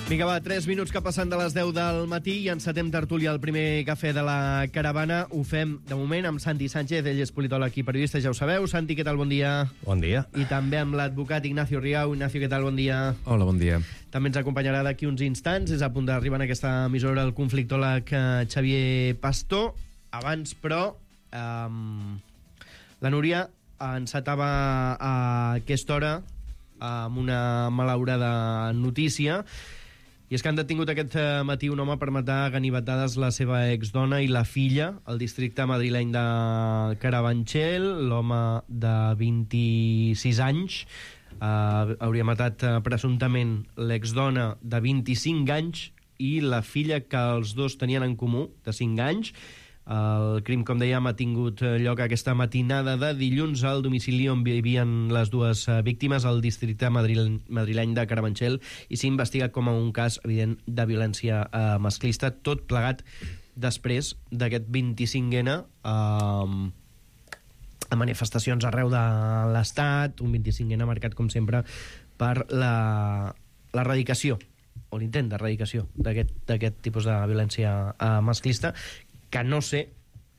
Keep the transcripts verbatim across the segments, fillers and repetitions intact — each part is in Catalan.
Vinga, va, tres minuts que passen de les deu del matí i encetem tertúlia el primer cafè de la caravana. Ho fem, de moment, amb Santi Sánchez, ell és politòleg i periodista, ja ho sabeu. Santi, què tal? Bon dia. Bon dia. I també amb l'advocat Ignacio Riau. Ignacio, què tal? Bon dia. Hola, bon dia. També ens acompanyarà d'aquí uns instants. És a punt d'arribar en aquesta emissora el conflictòleg Xavier Pastor. Abans, però, um, la Núria encetava a aquesta hora amb una malaurada notícia. I és que han detingut aquest matí un home per matar a ganivetades la seva exdona i la filla al districte madrileny de Carabanchel. L'home de vint-i-sis anys eh, hauria matat eh, presumptament l'exdona de vint-i-cinc anys i la filla que els dos tenien en comú, de cinc anys. El crim, com dèiem, ha tingut lloc aquesta matinada de dilluns al domicili on vivien les dues víctimes al districte madrileny de Carabanchel i s'investiga com a un cas evident de violència eh, masclista, tot plegat després d'aquest vint-i-cinc ena eh, a manifestacions arreu de l'Estat, un vint-i-cinc ena marcat, com sempre, per la l'erradicació o l'intent d'erradicació d'aquest tipus de violència eh, masclista, que no sé,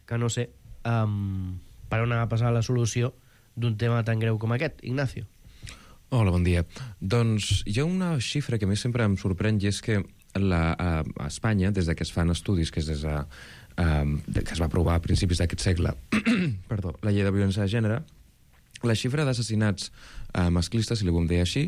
que no sé um, per on ha de passar la solució d'un tema tan greu com aquest. Ignacio. Hola, bon dia. Doncs hi ha una xifra que a mi sempre em sorprèn i és que la, a, a Espanya, des de que es fan estudis, que és des de, um, que es va aprovar a principis d'aquest segle, perdó, la llei de violència de gènere, la xifra d'assassinats eh, masclistes, si li volem dir així,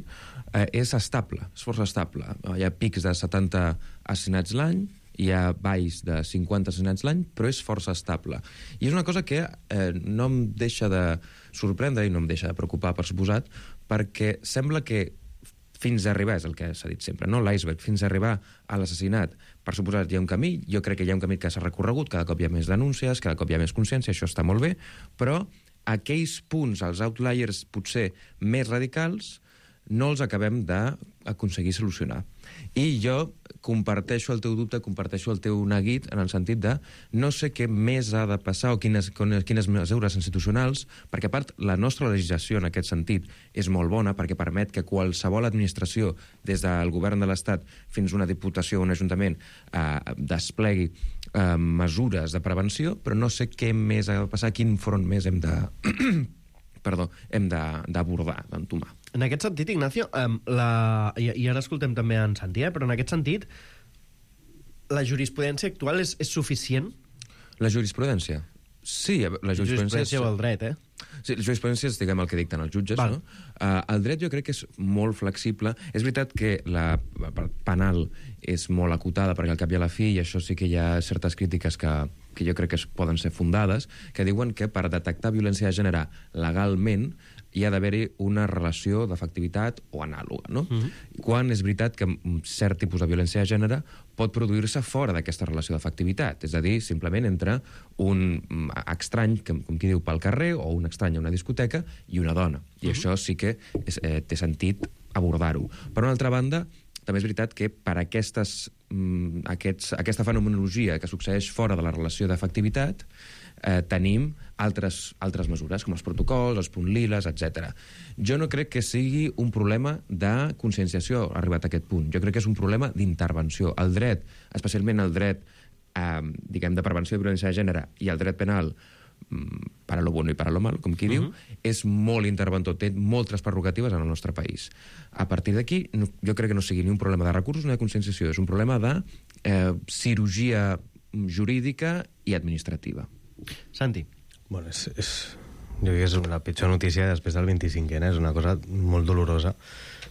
eh, és estable, és força estable. Hi ha pics de setanta assassinats l'any, hi ha valls de cinquanta assassinats l'any, però és força estable. I és una cosa que eh, no em deixa de sorprendre i no em deixa de preocupar, per suposat, perquè sembla que fins a arribar, és el que s'ha dit sempre, no? L'iceberg, fins a arribar a l'assassinat, per suposat, hi ha un camí, jo crec que hi ha un camí que s'ha recorregut, cada cop hi ha més denúncies, cada cop hi ha més consciència, això està molt bé, però aquells punts, els outliers potser més radicals, no els acabem d'aconseguir solucionar. I jo comparteixo el teu dubte, comparteixo el teu neguit en el sentit de no sé què més ha de passar o quines, quines mesures institucionals, perquè a part la nostra legislació en aquest sentit és molt bona perquè permet que qualsevol administració, des del govern de l'Estat fins a una diputació o un ajuntament, eh, desplegui eh, mesures de prevenció, però no sé què més ha de passar, quin front més hem de... perdó, hem d'abordar, d'entomar. En aquest sentit, Ignacio, um, la... I, i ara escoltem també en Santi, eh? Però en aquest sentit, la jurisprudència actual és, és suficient? La jurisprudència? Sí, la jurisprudència... Jurisprudència o el dret, eh? Sí, la jurisprudència és, diguem, el que dicten els jutges, Val. no? Uh, el dret jo crec que és molt flexible. És veritat que la penal és molt acotada, perquè al cap i a la fi, i això sí que hi ha certes crítiques que, que jo crec que poden ser fundades, que diuen que per detectar violència de gènere legalment hi ha d'haver-hi una relació d'efectivitat o anàloga, no? Mm-hmm. Quan és veritat que cert tipus de violència de gènere pot produir-se fora d'aquesta relació d'efectivitat, és a dir, simplement entre un estrany, com qui diu, pel carrer, o un estrany a una discoteca, i una dona. I mm-hmm. això sí que és, eh, té sentit abordar-ho. Per una altra banda, també és veritat que per aquestes, mm, aquests, aquesta fenomenologia que succeeix fora de la relació d'efectivitat, eh, tenim altres, altres mesures, com els protocols, els punts liles, etcètera. Jo no crec que sigui un problema de conscienciació arribat a aquest punt. Jo crec que és un problema d'intervenció. El dret, especialment el dret eh, diguem, de prevenció de violència de gènere i el dret penal, para lo bueno i para lo malo, com qui uh-huh. diu, és molt interventor, té moltes prerrogatives en el nostre país. A partir d'aquí, no, jo crec que no sigui ni un problema de recursos ni de conscienciació, és un problema de eh, cirurgia jurídica i administrativa. Santi. Bueno, és, és, jo crec que és la pitjor notícia després del vint-i-cinc ena, és una cosa molt dolorosa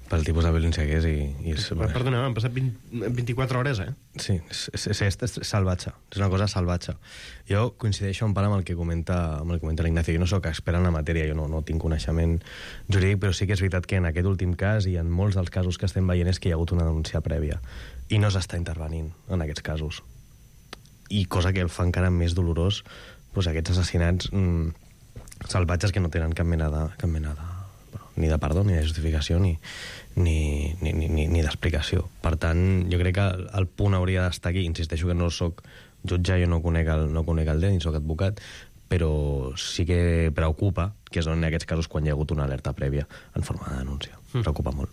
pel tipus de violència que és i... i és, bueno, perdona, han passat vint, vint-i-quatre hores, eh? Sí, és, és, és, és salvatge, és una cosa salvatge. Jo coincideixo en part amb el que comenta, amb el que comenta l'Ignacio. Jo no soc expert en la matèria, jo no, no tinc coneixement jurídic, però sí que és veritat que en aquest últim cas i en molts dels casos que estem veient és que hi ha hagut una denúncia prèvia i no s'està intervenint en aquests casos. I cosa que el fa encara més dolorós, doncs aquests assassinats mmm, salvatges que no tenen cap mena de... Cap mena de ni de perdó, ni de justificació, ni, ni, ni, ni, ni d'explicació. Per tant, jo crec que el punt hauria d'estar aquí. Insisteixo que no soc jutge, jo no conec el, no conec el dret, ni soc advocat, però sí que preocupa que són en aquests casos quan hi ha hagut una alerta prèvia en forma de denúncia. Mm. Preocupa molt.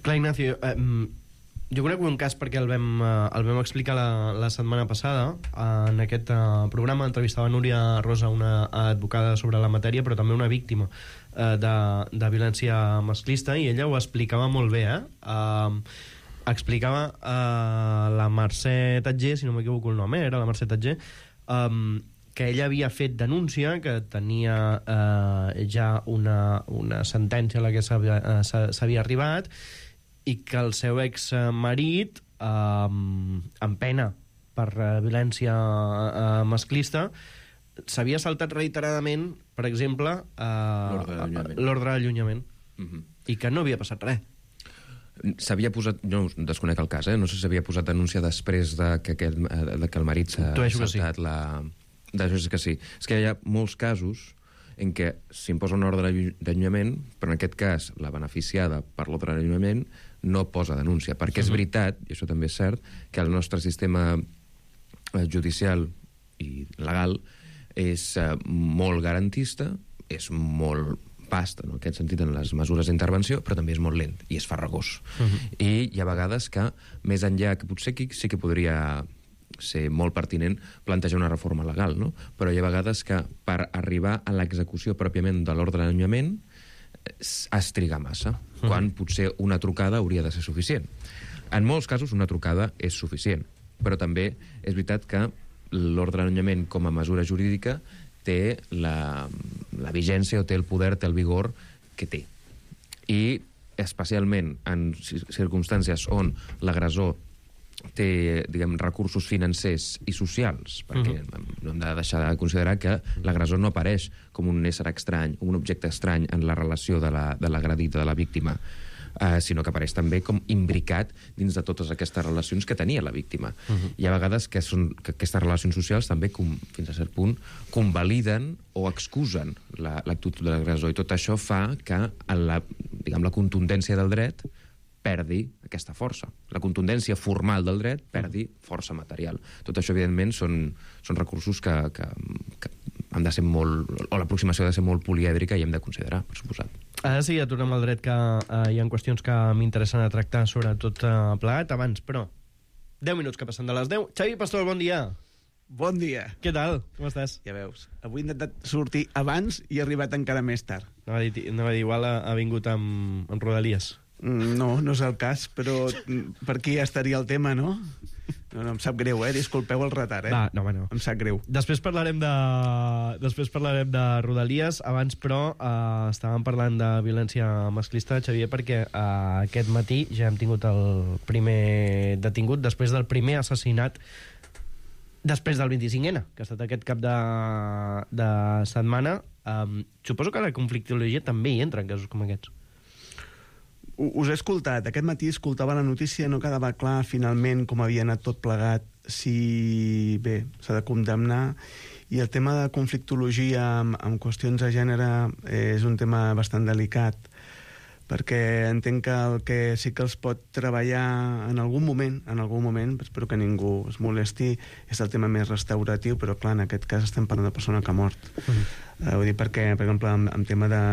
Clar, Ignacio, eh, Jo conec un cas perquè el vam, eh, el vam explicar la, la setmana passada. En aquest eh, programa entrevistava Núria Rosa, una advocada sobre la matèria, però també una víctima eh, de, de violència masclista, i ella ho explicava molt bé, eh? Uh, explicava uh, la Mercè Tatger, si no m'equivoco el nom, eh? Era la Mercè Tatger, um, que ella havia fet denúncia, que tenia eh, ja una, una sentència a la que s'havia eh, arribat, i que el seu exmarit, eh, amb pena per eh, violència eh, masclista, s'havia saltat reiteradament, per exemple, eh, l'ordre d'allunyament, uh-huh. I que no havia passat res. S'havia posat, no desconec el cas, eh? No sé si s'havia posat denúncia després de que, aquest, de que el marit s'ha saltat sí. la... D'això és que sí. És que hi ha molts casos en què s'imposa un ordre d'allunyament, però en aquest cas la beneficiada per l'ordre d'allunyament no posa denúncia, perquè és veritat, i això també és cert, que el nostre sistema judicial i legal és molt garantista, és molt vast, en aquest sentit, en les mesures d'intervenció, però també és molt lent i és farragós. Uh-huh. I hi ha vegades que, més enllà, que potser aquí sí que podria ser molt pertinent plantejar una reforma legal, no? Però hi ha vegades que per arribar a l'execució pròpiament de l'ordre d'allunyament es triga massa, uh-huh. Quan potser una trucada hauria de ser suficient. En molts casos una trucada és suficient, però també és veritat que l'ordre d'allunyament com a mesura jurídica té la, la vigència o té el poder, té el vigor que té. I especialment en circumstàncies on l'agressor té, diguem, recursos financers i socials, perquè uh-huh. no hem de deixar de considerar que l'agressor no apareix com un ésser estrany, un objecte estrany en la relació de l'agredit, de, de la víctima, Uh, sinó que apareix també com imbricat dins de totes aquestes relacions que tenia la víctima. Uh-huh. Hi ha vegades que, són, que aquestes relacions socials també, com, fins a cert punt, convaliden o excusen l'actitud la, de l'agressor, i tot això fa que la, diguem, la contundència del dret perdi aquesta força. La contundència formal del dret perdi força material. Tot això, evidentment, són, són recursos que, que, que han de ser molt... o l'aproximació ha de ser molt polièdrica i hem de considerar, per suposat. Ara sí, ja tornem al dret, que eh, hi ha qüestions que m'interessen a tractar sobre tot eh, plegat. Abans, però, deu minuts que passen de les deu. Xavi Pastor, bon dia. Bon dia. Què tal? Com estàs? Ja veus, avui he intentat sortir abans i he arribat encara més tard. Anava a dir, anava a dir igual ha, ha vingut amb, amb Rodalies. No, no és el cas, però per aquí ja estaria el tema, no? No, no, em sap greu, eh? Disculpeu el retard, eh? Va, no, no. Em sap greu. Després parlarem de, després parlarem de Rodalies. Abans, però, eh, estàvem parlant de violència masclista, Xavier, perquè eh, aquest matí ja hem tingut el primer detingut després del primer assassinat després del vint-i-cinc ena, que ha estat aquest cap de, de setmana. Um, suposo que la conflictologia també hi entra en casos com aquests. Us he escoltat. Aquest matí escoltava la notícia, no quedava clar finalment com havia anat tot plegat, si bé, s'ha de condemnar, i el tema de conflictologia amb, amb qüestions de gènere és un tema bastant delicat, perquè entenc que el que sí que els pot treballar en algun moment, en algun moment, espero que ningú es molesti, és el tema més restauratiu, però clar, en aquest cas estem parlant de persona que ha mort. Uh-huh. Uh, vull dir perquè, per exemple, en, en tema de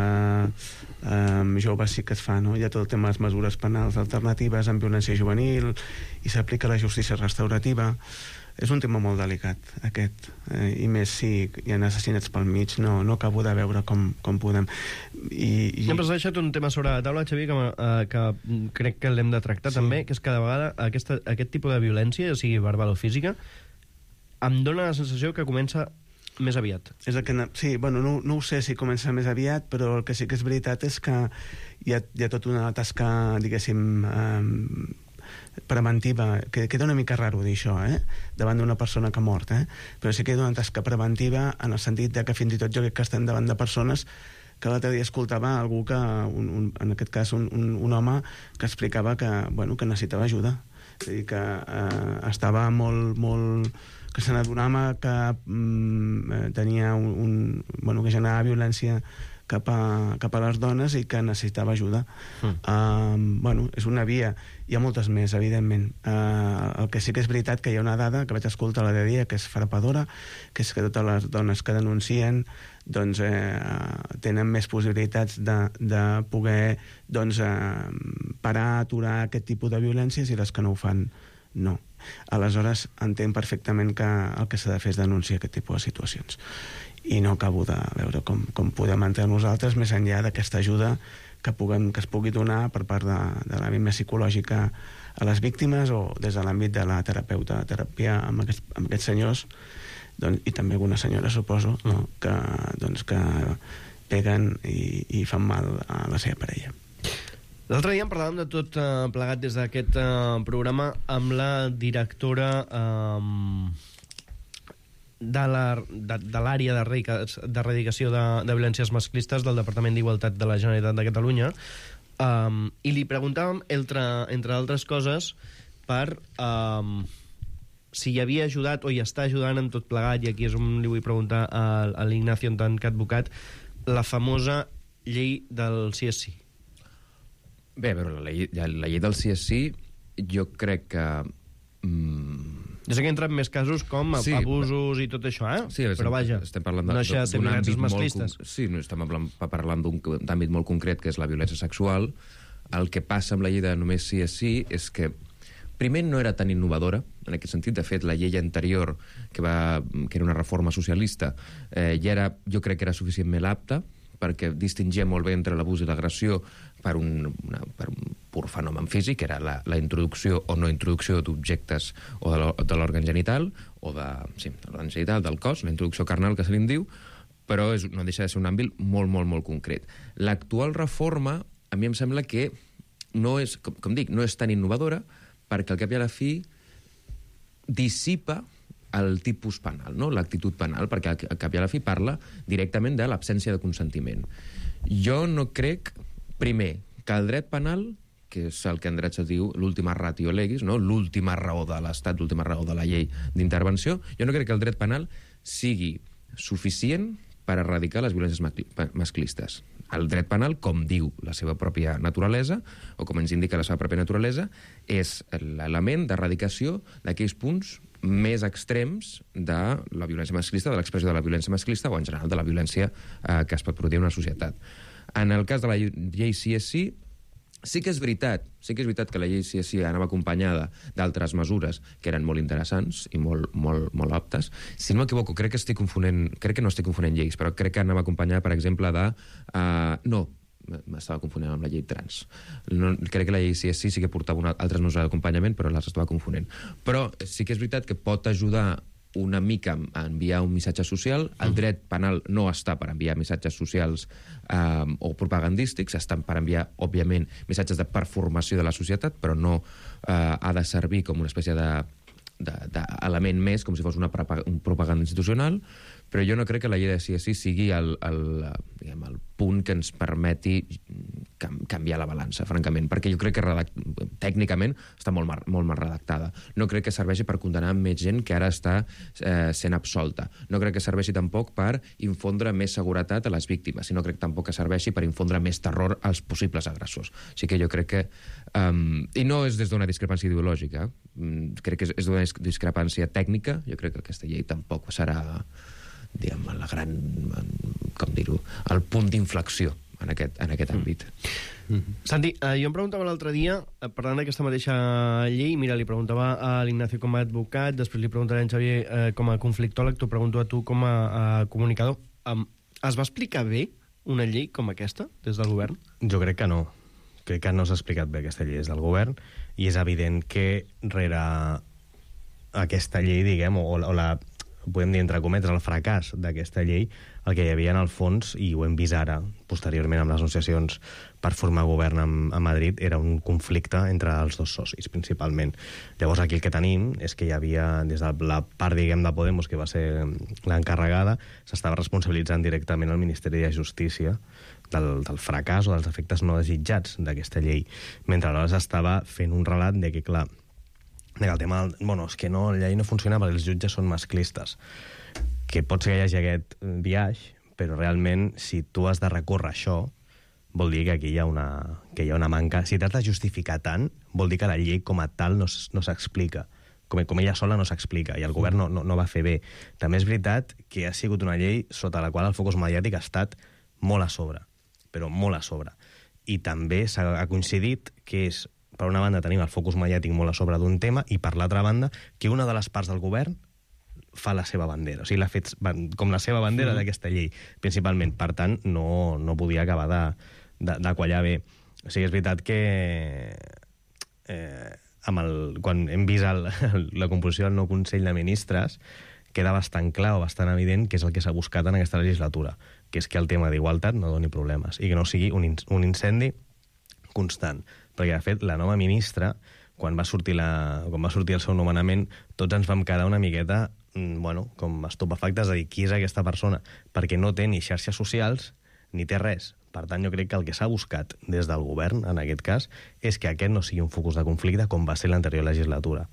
um, joves sí que es fa, no? Hi ha tot el tema de les mesures penals alternatives en violència juvenil i s'aplica la justícia restaurativa. És un tema molt delicat, aquest, eh, i més si hi ha assassinats pel mig, no, no acabo de veure com, com podem. I, i... Sempre has deixat un tema sobre la taula, Xavier, que, eh, que crec que l'hem de tractar, sí. També, que és que cada vegada aquesta, aquest tipus de violència, ja sigui verbal o física, em dóna la sensació que comença més aviat. És el que, sí, bueno, no, no ho sé si comença més aviat, però el que sí que és veritat és que hi ha, hi ha tota una tasca, diguéssim, eh, preventiva, que queda una mica raro dir això, eh? Davant d'una persona que ha mort, eh? Però sí que queda una tasca preventiva en el sentit de que fins i tot jo crec que estem davant de persones que l'altre dia escoltava algú que, un, un, en aquest cas un, un, un home que explicava que, bueno, que necessitava ajuda, és a dir, que eh, estava molt, molt que se n'adonava que mm, tenia un, un, bueno, que generava violència cap a, cap a les dones i que necessitava ajuda. Mm. Uh, bueno, és una via. Hi ha moltes més, evidentment. Uh, el que sí que és veritat que hi ha una dada que vaig escoltar l'altre dia, que és frapadora, que és que totes les dones que denuncien doncs, eh, tenen més possibilitats de, de poder doncs, eh, parar, aturar aquest tipus de violències, i les que no ho fan, no. Aleshores, entenc perfectament que el que s'ha de fer és denunciar aquest tipus de situacions. I no acabo de veure com, com podem entrar nosaltres més enllà d'aquesta ajuda que, puguem, que es pugui donar per part de, de l'àmbit més psicològica a les víctimes, o des de l'àmbit de la terapeuta, teràpia amb aquests, amb aquests senyors, doncs, i també alguna senyora, suposo, no? que, doncs, que peguen i, i fan mal a la seva parella. L'altre dia en parlàvem de tot eh, plegat des d'aquest eh, programa amb la directora eh, de l'àrea de, de, de erradicació de, de violències masclistes del Departament d'Igualtat de la Generalitat de Catalunya, eh, i li preguntàvem, entre, entre altres coses, per eh, si hi havia ajudat o hi està ajudant en tot plegat, i aquí és on li vull preguntar a, a l'Ignacio en tant que advocat, la famosa llei del sí és sí. Bé, però la llei, la llei del sí és sí, jo crec que... Mm... Jo sé que entra en més casos com sí, abusos i tot això, eh? Sí, però vaja, estem parlant de, no deixa de ser violències masclistes. Molt, sí, no, estem parlant d'un àmbit molt concret, que és la violència sexual. El que passa amb la llei de només sí és sí és que primer no era tan innovadora, en aquest sentit. De fet, la llei anterior, que, va, que era una reforma socialista, eh, ja era, jo crec que era suficientment apta, perquè distingia molt bé entre l'abús i l'agressió per un, una, per un pur fenomen físic, que era la, la introducció o no introducció d'objectes o de l'òrgan genital, o de, sí, de l'òrgan genital, del cos, la introducció carnal, que se li en diu, però és, no deixa de ser un àmbit molt, molt, molt concret. L'actual reforma, a mi em sembla que no és, com, com dic, no és tan innovadora, perquè al cap i a la fi dissipa el tipus penal, no? L'actitud penal, perquè al cap i a la fi parla directament de l'absència de consentiment. Jo no crec, primer, que el dret penal, que és el que en dret se diu l'última ratio legis, no? L'última raó de l'Estat, l'última raó de la llei d'intervenció, jo no crec que el dret penal sigui suficient per erradicar les violències masclistes. El dret penal, com diu la seva pròpia naturalesa, o com ens indica la seva pròpia naturalesa, és l'element d'erradicació d'aquells punts més extrems de la violència masclista, de l'expressió de la violència masclista, o en general de la violència eh, que es pot produir en una societat. En el cas de la llei sí és sí, sí que és veritat, sí que és veritat que la llei sí és sí anava acompanyada d'altres mesures que eren molt interessants i molt, molt, molt aptes. Si no m'equivoco, crec que estic confonent, crec que no estic confonent lleis, però crec que anava acompanyada, per exemple, de... Uh, no, m'estava confonent amb la llei trans. No, crec que la llei sí és sí, sí que portava una, altres mesures d'acompanyament, però les estava confonent. Però sí que és veritat que pot ajudar una mica a enviar un missatge social. El dret penal no està per enviar missatges socials eh, o propagandístics, està per enviar, òbviament, missatges de performació de la societat, però no eh, ha de servir com una espècie de d'element més, com si fos una un propaganda institucional, però jo no crec que la llei de sí és sí sigui el, el, diguem, el punt que ens permeti canviar la balança, francament, perquè jo crec que redakt... tècnicament està molt mal, molt mal redactada. No crec que serveixi per condenar més gent que ara està eh, sent absolta. No crec que serveixi tampoc per infondre més seguretat a les víctimes, sinó crec tampoc que serveixi per infondre més terror als possibles agressors. Així que jo crec que... Um, I no és des d'una discrepància ideològica, um, crec que és, és d'una discrepància tècnica. Jo crec que aquesta llei tampoc serà, diguem, la gran, com dir-ho, el punt d'inflexió en aquest, en aquest àmbit. Mm. Santi, eh, jo em preguntava l'altre dia, eh, parlant d'aquesta mateixa llei, mira, li preguntava a l'Ignacio com a advocat, després li preguntaré a en Xavier eh, com a conflictòleg, t'ho pregunto a tu com a, a comunicador. Um, es va explicar bé una llei com aquesta des del govern? Jo crec que no. Crec que no s'ha explicat bé aquesta llei des del govern, i és evident que rere aquesta llei, diguem, o, o la, podem dir entre cometes, el fracàs d'aquesta llei, el que hi havia en el fons, i ho hem vist ara, posteriorment amb les negociacions per formar govern a, a Madrid, era un conflicte entre els dos socis, principalment. Llavors aquí el que tenim és que hi havia, des de la part, diguem, de Podemos, que va ser l'encarregada, s'estava responsabilitzant directament el Ministeri de Justícia del, del fracàs o dels efectes no desitjats d'aquesta llei, mentre aleshores estava fent un relat de que, clar, de que el tema... Bueno, és que no, la llei no funciona perquè els jutges són masclistes. Que pot ser que hi hagi aquest biaix, però realment, si tu has de recórrer això, vol dir que aquí hi ha una, que hi ha una manca. Si t'has de justificar tant, vol dir que la llei com a tal no, no s'explica. Com, com ella sola no s'explica, i el govern no, no, no va fer bé. També és veritat que ha sigut una llei sota la qual el focus mediàtic ha estat molt a sobre, però molt a sobre. i també s'ha coincidit que és, per una banda, tenim el focus mediàtic molt a sobre d'un tema, i per l'altra banda, que una de les parts del govern fa la seva bandera, o sigui, l'ha fet com la seva bandera mm. d'aquesta llei, principalment. Per tant, no, no podia acabar de, de, de quallar bé. O sigui, és veritat que eh, amb el, quan hem vist el, la composició del nou Consell de Ministres, queda bastant clar o bastant evident que és el que s'ha buscat en aquesta legislatura, que és que el tema d'igualtat no doni problemes i que no sigui un, in, un incendi constant. Perquè, de fet, la nova ministra, quan va sortir, la, quan va sortir el seu nomenament, tots ens vam quedar una miqueta, bueno, com estupefactes, de dir qui és aquesta persona, perquè no té ni xarxes socials ni té res. Per tant, jo crec que el que s'ha buscat des del govern, en aquest cas, és que aquest no sigui un focus de conflicte com va ser l'anterior legislatura.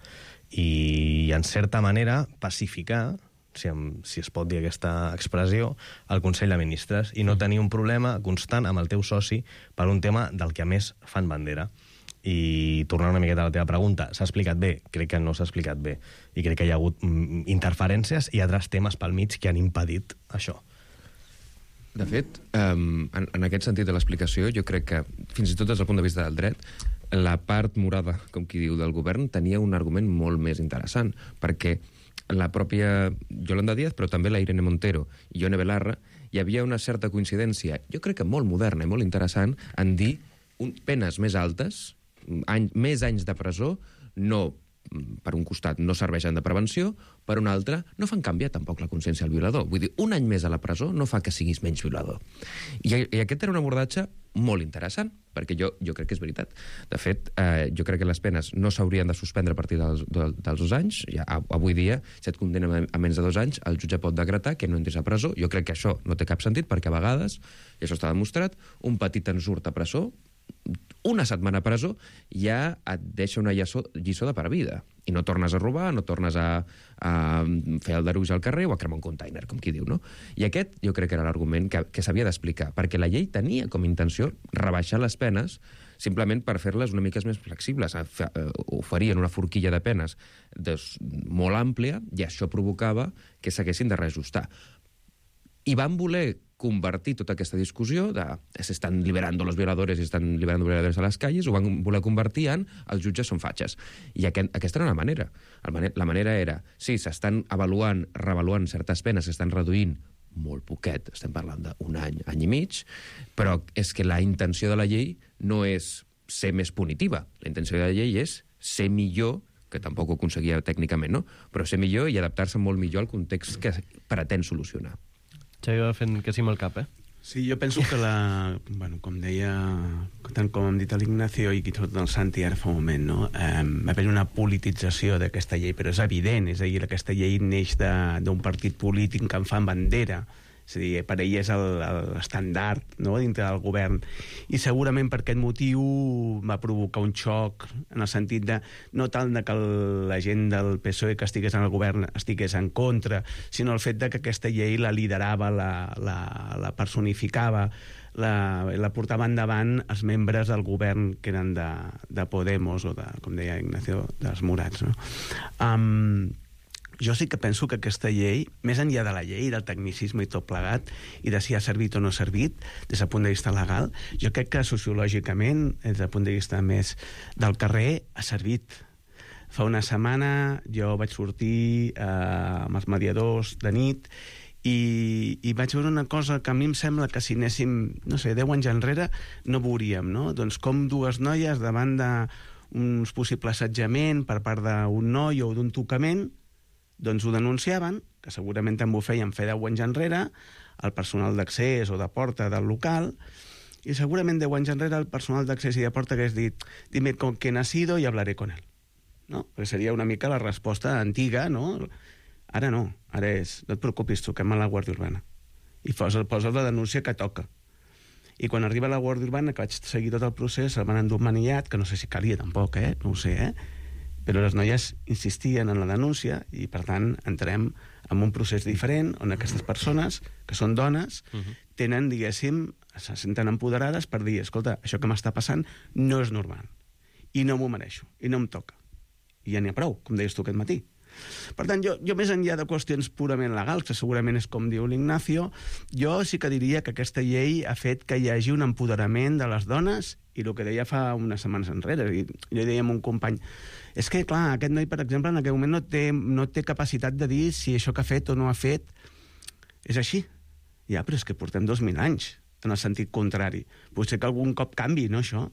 I, en certa manera, pacificar, si, em, si es pot dir aquesta expressió, el Consell de Ministres, i no tenir un problema constant amb el teu soci per un tema del que a més fan bandera. I tornant una miqueta a la teva pregunta, s'ha explicat bé? Crec que no s'ha explicat bé. I crec que hi ha hagut mm, interferències i altres temes pel mig que han impedit això. De fet, um, en, en aquest sentit de l'explicació, jo crec que, fins i tot des del punt de vista del dret, la part morada, com qui diu, del govern, tenia un argument molt més interessant, perquè la pròpia Yolanda Díaz, però també la Irene Montero i Ione Belarra, hi havia una certa coincidència, jo crec que molt moderna i molt interessant, en dir un, penes més altes, any, més anys de presó, no, per un costat, no serveixen de prevenció, per un altre, no fan canviar tampoc la consciència al violador. Vull dir, un any més a la presó no fa que siguis menys violador. I, i aquest era un abordatge molt interessant, perquè jo, jo crec que és veritat. De fet, eh, jo crec que les penes no s'haurien de suspendre a partir dels, dels dos anys. Ja, avui dia, si et condemnen a menys de dos anys, el jutge pot decretar que no entris a presó. Jo crec que això no té cap sentit, perquè a vegades, i això està demostrat, un petit ensurt a presó, una setmana a presó, ja et deixa una lliçó, lliçó de per vida. I no tornes a robar, no tornes a, a fer el deruix al carrer o a cremar un container, com qui diu, no? I aquest jo crec que era l'argument que, que s'havia d'explicar, perquè la llei tenia com a intenció rebaixar les penes simplement per fer-les una mica més flexibles. Oferien una forquilla de penes des, molt àmplia i això provocava que s'haguessin de reajustar. I van voler convertir tota aquesta discussió de se estan liberando los violadores i estan liberando violadores a les calles, ho van voler convertir en els jutges són fatxes. I aquest, aquesta era una manera. La manera era, sí, s'estan avaluant, reavaluant certes penes, s'estan reduint molt poquet, estem parlant d'un any, any i mig, però és que la intenció de la llei no és ser més punitiva. La intenció de la llei és ser millor, que tampoc ho aconseguia tècnicament, no? Però ser millor i adaptar-se molt millor al context que pretén solucionar. Xavi va fent que sí amb el cap, eh? Sí, jo penso que la... Bueno, com deia, tant com hem dit a l'Ignacio i tot el Santi ara fa un moment, no? Eh, va haver una politització d'aquesta llei, però és evident, és a dir, aquesta llei neix d'un partit polític que en fan bandera. És a dir, per ell és l'estandard, no?, dintre del govern. I segurament per aquest motiu va provocar un xoc en el sentit de no tant de que la gent del P S O E que estigués en el govern estigués en contra, sinó el fet de que aquesta llei la liderava, la, la, la personificava, la, la portava endavant els membres del govern que eren de, de Podemos o de, com deia Ignacio, dels Morats, no? Um, Jo sí que penso que aquesta llei, més enllà de la llei, del tecnicisme i tot plegat, i de si ha servit o no ha servit, des del punt de vista legal, jo crec que sociològicament, des del punt de vista més del carrer, ha servit. Fa una setmana jo vaig sortir eh, amb els mediadors de nit i, i vaig veure una cosa que a mi em sembla que si anéssim, no sé, deu anys enrere, no veuríem, no? Doncs com dues noies davant d'uns possibles assetjament per part d'un noi o d'un tocament, doncs ho denunciaven, que segurament també ho feien fer deu anys enrere, el personal d'accés o de porta del local, i segurament deu anys enrere el personal d'accés i de porta hagués dit dime con quién ha sido y hablaré con él. No? Perquè seria una mica la resposta antiga, no? Ara no, ara és, no et preocupis, truquem a la Guàrdia Urbana. I poses, poses la denúncia que toca. I quan arriba la Guàrdia Urbana, que vaig seguir tot el procés, el van endur manillat, que no sé si calia tampoc, eh? No ho sé, eh? Però les noies insistien en la denúncia i, per tant, entrem en un procés diferent on aquestes persones, que són dones, uh-huh. tenen, diguéssim, se senten empoderades per dir, escolta, això que m'està passant no és normal i no m'ho mereixo, i no em toca. I ja n'hi ha prou, com deies tu aquest matí. Per tant, jo, jo més enllà de qüestions purament legals, que segurament és com diu l'Ignacio, jo sí que diria que aquesta llei ha fet que hi hagi un empoderament de les dones, i el que deia fa unes setmanes enrere, i jo deia a un company, és que, clar, aquest noi, per exemple, en aquell moment no té, no té capacitat de dir si això que ha fet o no ha fet és així. Ja, però és que portem dos mil anys, en el sentit contrari. Potser que algun cop canvi, no, això?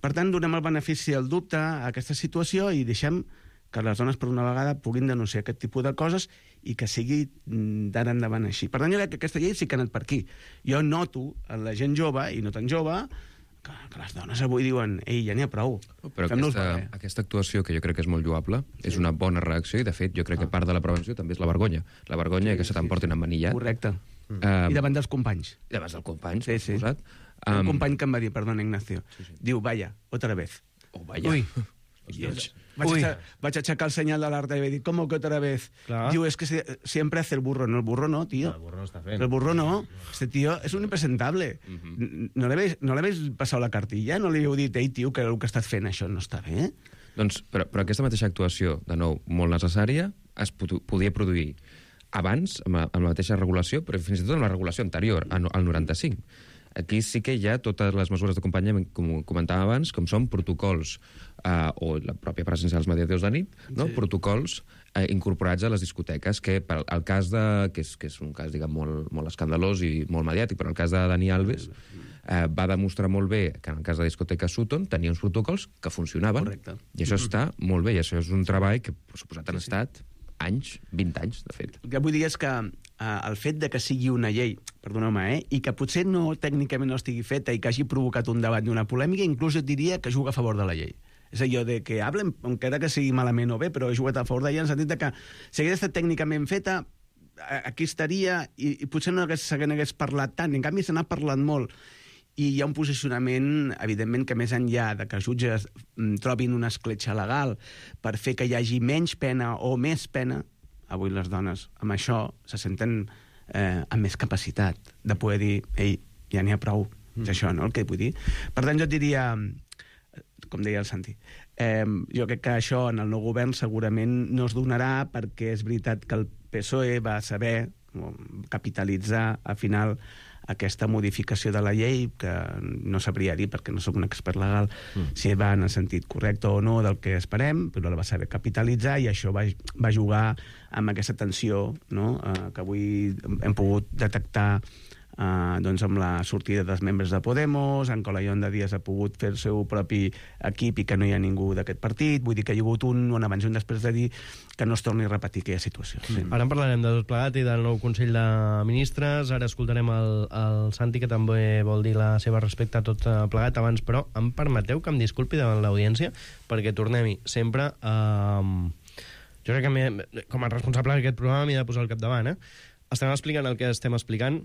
Per tant, donem el benefici del dubte a aquesta situació i deixem que les dones, per una vegada, puguin denunciar aquest tipus de coses i que sigui d'ara endavant així. Per tant, jo crec que aquesta llei sí que ha anat per aquí. Jo noto en la gent jove, i no tan jove, que, que les dones avui diuen ei, ja n'hi ha prou. Però aquesta, aquesta actuació, que jo crec que és molt lloable, sí. és una bona reacció, i de fet jo crec ah. que part de la prevenció també és la vergonya. La vergonya sí, que se t'emportin sí, sí. emmanillat. Correcte. Um, I davant dels companys. I davant dels companys, sí, sí. posat. Un um, company que em va dir, perdona, Ignacio, sí, sí. diu, vaya, otra vez. Oh, vaya. Ui. Vaig, Uy. A, vaig a aixecar el senyal d'alerta i vaig dir, com que otra vez? Clar. Diu, es que se, siempre hace el burro. No, el burro no, tío. El burro no està fent. El burro no. Este tío es un impresentable. Uh -huh. No l'habéis no passat la cartilla? No li heu dit, ei, tio, que el que estàs fent això no està bé? Doncs, però, però aquesta mateixa actuació, de nou, molt necessària, es podia produir abans, amb la, amb la mateixa regulació, però fins i tot amb la regulació anterior, al noranta-cinc. Aquí sí que hi ha totes les mesures d'acompanyament, com comentàvem abans, com són protocols, eh, o la pròpia presència dels mediadors de nit, no? Sí. Protocols eh, incorporats a les discoteques, que per el cas de... que és, que és un cas, diguem, molt, molt escandalós i molt mediàtic, però el cas de Dani Alves eh, va demostrar molt bé que en el cas de la discoteca Sutton tenia uns protocols que funcionaven. Correcte. I això està molt bé, i això és un treball que, per suposat, han sí, sí. estat anys, vint anys, de fet. El que vull dir és que eh, el fet de que sigui una llei, perdoneu-me, eh, i que potser no tècnicament no estigui feta i que hagi provocat un debat i una polèmica, inclús et diria que juga a favor de la llei. És allò de que hablen, encara que sigui malament o bé, però he jugat a favor d'ella en el sentit de que si hagués estat tècnicament feta, aquí estaria, i, i potser no hagués, hagués parlat tant, en canvi se n'ha parlat molt. I hi ha un posicionament, evidentment, que més enllà de que els jutges trobin una escletxa legal per fer que hi hagi menys pena o més pena, avui les dones amb això se senten eh, amb més capacitat de poder dir, ei, ja n'hi ha prou, mm. és això, no?, el que vull dir. Per tant, jo et diria, com deia el Santi, eh, jo crec que això en el nou govern segurament no es donarà, perquè és veritat que el P S O E va saber capitalitzar, al final, aquesta modificació de la llei, que no sabria dir, perquè no sóc un expert legal, mm. si va en el sentit correcte o no del que esperem, però la va saber capitalitzar, i això va, va jugar amb aquesta tensió, no?, eh, que avui hem pogut detectar Uh, doncs amb la sortida dels membres de Podemos, en Colaión de Díaz ha pogut fer el seu propi equip i que no hi ha ningú d'aquest partit. Vull dir que hi ha hagut un, un abans i un després de dir que no es torni a repetir aquella situació. Sí. Ara en parlarem de tot plegat i del nou Consell de Ministres. Ara escoltarem el, el Santi, que també vol dir la seva respecte a tot plegat. Abans, però, em permeteu que em disculpi davant l'audiència, perquè tornem-hi sempre a... Uh, jo crec que com a responsable d'aquest programa m'he de posar al capdavant, eh? Estem explicant el que estem explicant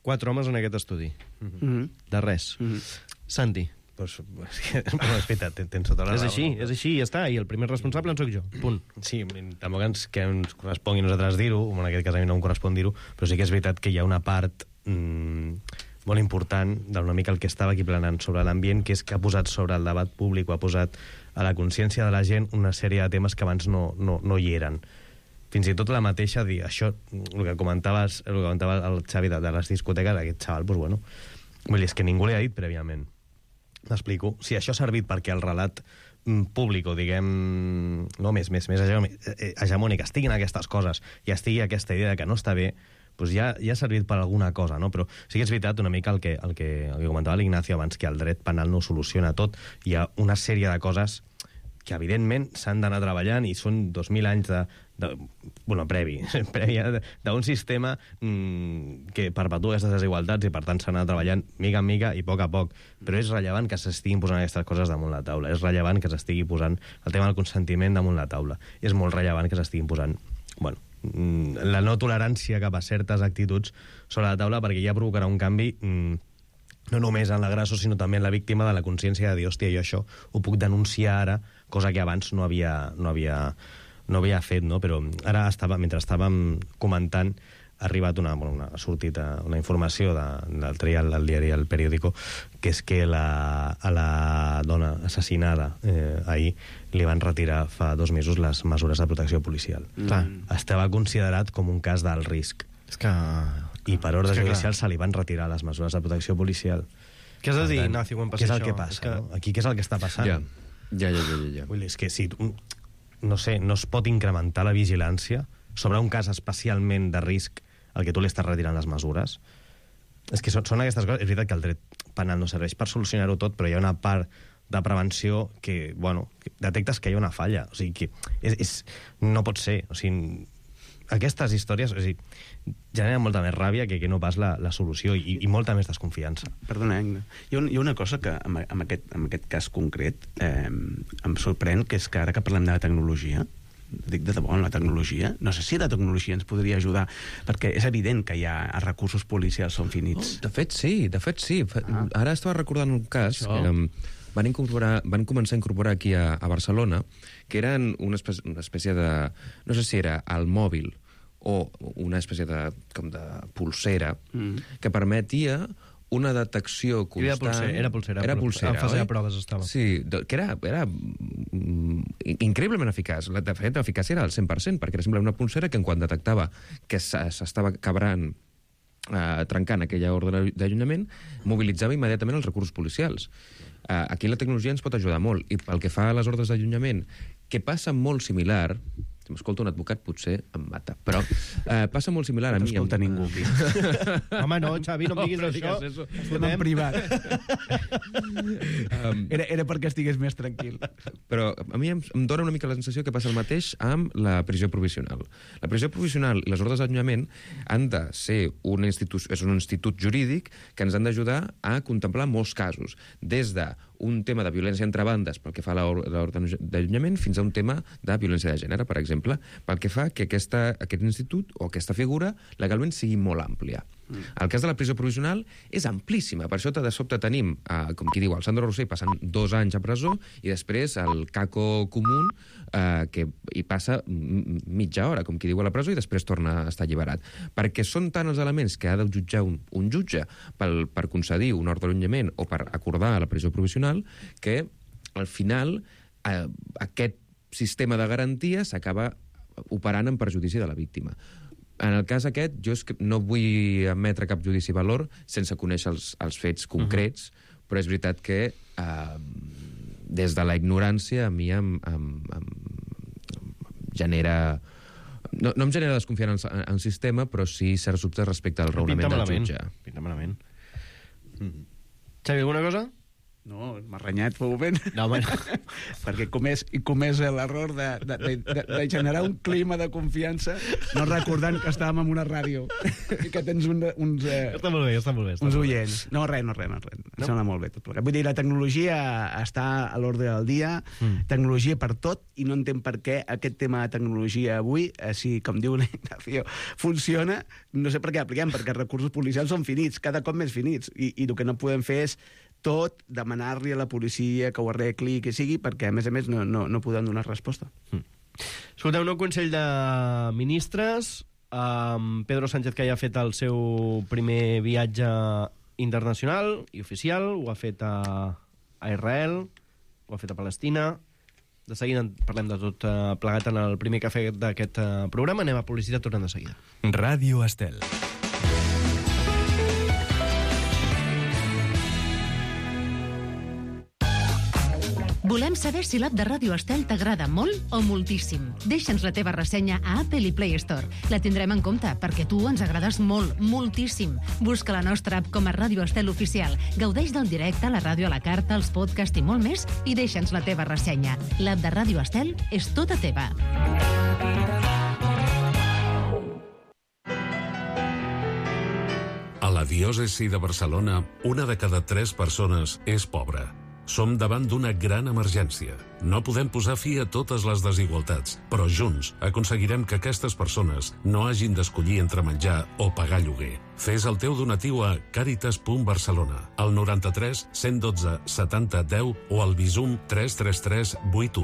quatre homes en aquest estudi. Mm-hmm. De res. Mm-hmm. Santi. Pues, és que, bueno, és veritat, tens tota la raó. És així, no? és així, ja està. I el primer responsable en sóc jo. Punt. Sí, tampoc ens, que ens correspongui a nosaltres dir-ho, en aquest cas a mi no em correspon dir-ho, però sí que és veritat que hi ha una part mmm, molt important d'una mica el que estava aquí planant sobre l'ambient, que és que ha posat sobre el debat públic o ha posat a la consciència de la gent una sèrie de temes que abans no, no, no hi eren. Fins i tot la mateixa, dir, això, el que comentaves, el que comentava el Xavi de, de les discoteques, aquest xaval, doncs bueno, vull dir, és que ningú li ha dit prèviament. M'explico. Si això ha servit perquè el relat públic, o diguem, no, més, més, més hegemònic, estiguin aquestes coses i estigui aquesta idea de que no està bé, doncs ja, ja ha servit per alguna cosa, no? Però sí que és veritat una mica el que, el que, el que comentava l'Ignacio abans, que el dret penal no ho soluciona tot. Hi ha una sèrie de coses que evidentment s'han d'anar treballant, i són dos mil anys de, de bueno, previ, previ d'un sistema mmm, que perpetua aquestes desigualtats, i per tant s'ha d'anar treballant mica en mica i a poc a poc. Però és rellevant que s'estiguin posant aquestes coses damunt la taula, és rellevant que s'estigui posant el tema del consentiment damunt la taula, és molt rellevant que s'estiguin posant, bueno, la no tolerància cap a certes actituds sobre la taula, perquè ja provocarà un canvi mmm, no només en l'agressor, sinó també en la víctima, de la consciència de dir, hòstia, jo això ho puc denunciar ara, cosa que abans no havia, no havia, no havia fet, no? Però ara, estava, mentre estàvem comentant, ha arribat una, bueno, una, ha sortit una informació de, del trial del diari El Periódico, que és que la, a la dona assassinada eh, ahir li van retirar fa dos mesos les mesures de protecció policial. Mm. Estava considerat com un cas d'alt risc. És que... I per ordre que, judicial se li van retirar les mesures de protecció policial. Què has de dir, tant, Ignacio, quan què passa és el això? que passa, que... no? Aquí què és el que està passant? Ja, ja, ja, ja, ja. Vull dir, és que si... No sé, no es pot incrementar la vigilància sobre un cas especialment de risc al que tu li estàs retirant les mesures. És que són, són aquestes coses... És veritat que el dret penal no serveix per solucionar-ho tot, però hi ha una part de prevenció que, bueno, que detectes que hi ha una falla. O sigui, que és, és, no pot ser. O sigui, aquestes històries, o sigui, generen molta més ràbia que, que no pas la, la solució i, i molta més desconfiança. Perdona, Agna. Hi ha, un, hi ha una cosa que amb, amb, aquest, amb aquest cas concret eh, em sorprèn, que és que ara que parlem de la tecnologia, dic de debò, en la tecnologia, no sé si la tecnologia ens podria ajudar, perquè és evident que hi ha recursos policials són finits. Oh, de fet, sí, de fet, sí. Ah. Ara estava recordant un cas Això. que um, van, incorporar, van començar a incorporar aquí a, a Barcelona, que eren una espècie, una espècie de... No sé si era el mòbil o una espècie de, com de pulsera, mm. que permetia una detecció constant... Era pulsera, era pulsera. Era pulsera, en fase oi? de proves estava. Sí, que era, era mm, increïblement eficaç. De fet, l'eficàcia era al cent per cent, perquè era simplement una pulsera que en quan detectava que s'estava quebrant, eh, trencant aquella ordre d'allunyament, mobilitzava immediatament els recursos policials. Eh, aquí la tecnologia ens pot ajudar molt, i pel que fa a les ordres d'allunyament, que passa molt similar... Si m'escolta un advocat, potser em mata. Però eh, passa molt similar a No mi. escolta ningú aquí. Home, no, Xavi, no em diguis No, no això. digues eso. Estem en privat. Um, Era, era perquè estigués més tranquil. Però a mi em, em dóna una mica la sensació que passa el mateix amb la prisió provisional. La prisió provisional i les ordres d'allunyament han de ser un institut, és un institut jurídic que ens han d'ajudar a contemplar molts casos, des de un tema de violència entre bandes pel que fa a l'ordre d'allunyament fins a un tema de violència de gènere, per exemple, pel que fa que aquesta, aquest institut o aquesta figura legalment sigui molt àmplia. Mm. El cas de la prisió provisional és amplíssima, per això de sobte tenim, eh, com qui diu, el Sandro Rossell passant dos anys a presó i després el Caco Común eh, que hi passa mitja hora, com qui diu, a la presó i després torna a estar alliberat. Perquè són tant els elements que ha de jutjar un, un jutge pel, per concedir un ordre d'allunyament o per acordar la prisió provisional que al final eh, aquest sistema de garantia s'acaba operant en perjudici de la víctima. En el cas aquest, jo és que no vull emetre cap judici valor sense conèixer els, els fets concrets, uh-huh. però és veritat que eh, des de la ignorància a mi em, em, em, em genera... No, no em genera desconfiança en el sistema, però sí certs dubtes respecte al raonament del jutge. Pinta malament. Mm. Xavi, alguna cosa? No, m'ha renyat, fou ben. No, home, no. Perquè comés, i comés l'error de, de, de, de, de generar un clima de confiança no recordant que estàvem en una ràdio i que tens un, uns... Eh, Està molt bé, està molt bé. Està uns molt bé. oients. No, res, no, res, no, res. No? Sembla molt bé tot plegat. Vull dir, la tecnologia està a l'ordre del dia, mm. tecnologia per tot, i no entenc per què aquest tema de tecnologia avui, eh, si, com diu l'Ignacio, funciona, no sé per què apliquem, perquè els recursos policials són finits, cada cop més finits, i, i el que no podem fer és tot demanar-li a la policia que ho arregli, que sigui, perquè, a més a més, no, no, no podem donar resposta. Mm. Escolteu, nou Consell de Ministres, um, Pedro Sánchez, que ja ha fet el seu primer viatge internacional i oficial, ho ha fet a, a Israel, ho ha fet a Palestina. De seguida parlem de tot uh, plegat en el primer cafè d'aquest uh, programa. Anem a publicitat, tornem de seguida. Ràdio Estel. Volem saber si l'app de Ràdio Estel t'agrada molt o moltíssim. Deixa'ns la teva ressenya a Apple i Play Store. La tindrem en compte, perquè tu ens agrades molt, moltíssim. Busca la nostra app com a Ràdio Estel Oficial. Gaudeix del directe, la ràdio a la carta, els podcasts i molt més, i deixa'ns la teva ressenya. L'app de Ràdio Estel és tota teva. A la diòcesi de Barcelona, una de cada tres persones és pobra. Som davant d'una gran emergència. No podem posar fi a totes les desigualtats, però junts aconseguirem que aquestes persones no hagin d'escollir entre menjar o pagar lloguer. Fes el teu donatiu a càritas punt barcelona, al noranta-tres cent dotze setanta deu o al Bizum tres tres tres vuit u.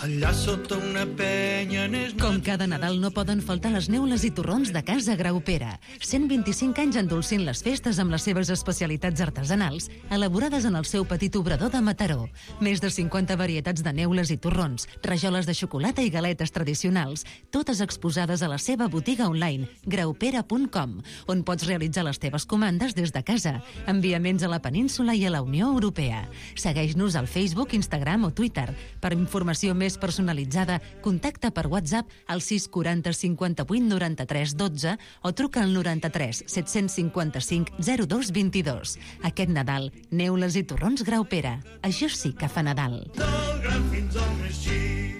allà sota una penya n'és... Com cada Nadal no poden faltar les neules i torrons de Casa Graupera. cent vint-i-cinc anys endolcint les festes amb les seves especialitats artesanals, elaborades en el seu petit obrador de Mataró. Més de cinquanta varietats de neules i torrons, rajoles de xocolata i galetes tradicionals, totes exposades a la seva botiga online, graupera punt com, on pots realitzar les teves comandes des de casa. Enviaments a la península i a la Unió Europea. Segueix-nos al Facebook, Instagram o Twitter. Per informació més personalitzada, contacta per WhatsApp al sis quaranta cinquanta-vuit noranta-tres dotze o truca al noranta-tres set-cents cinquanta-cinc zero dos vint-i-dos. Aquest Nadal, neules i torrons Graupera. Això sí que fa Nadal. Del gran fins al més xic.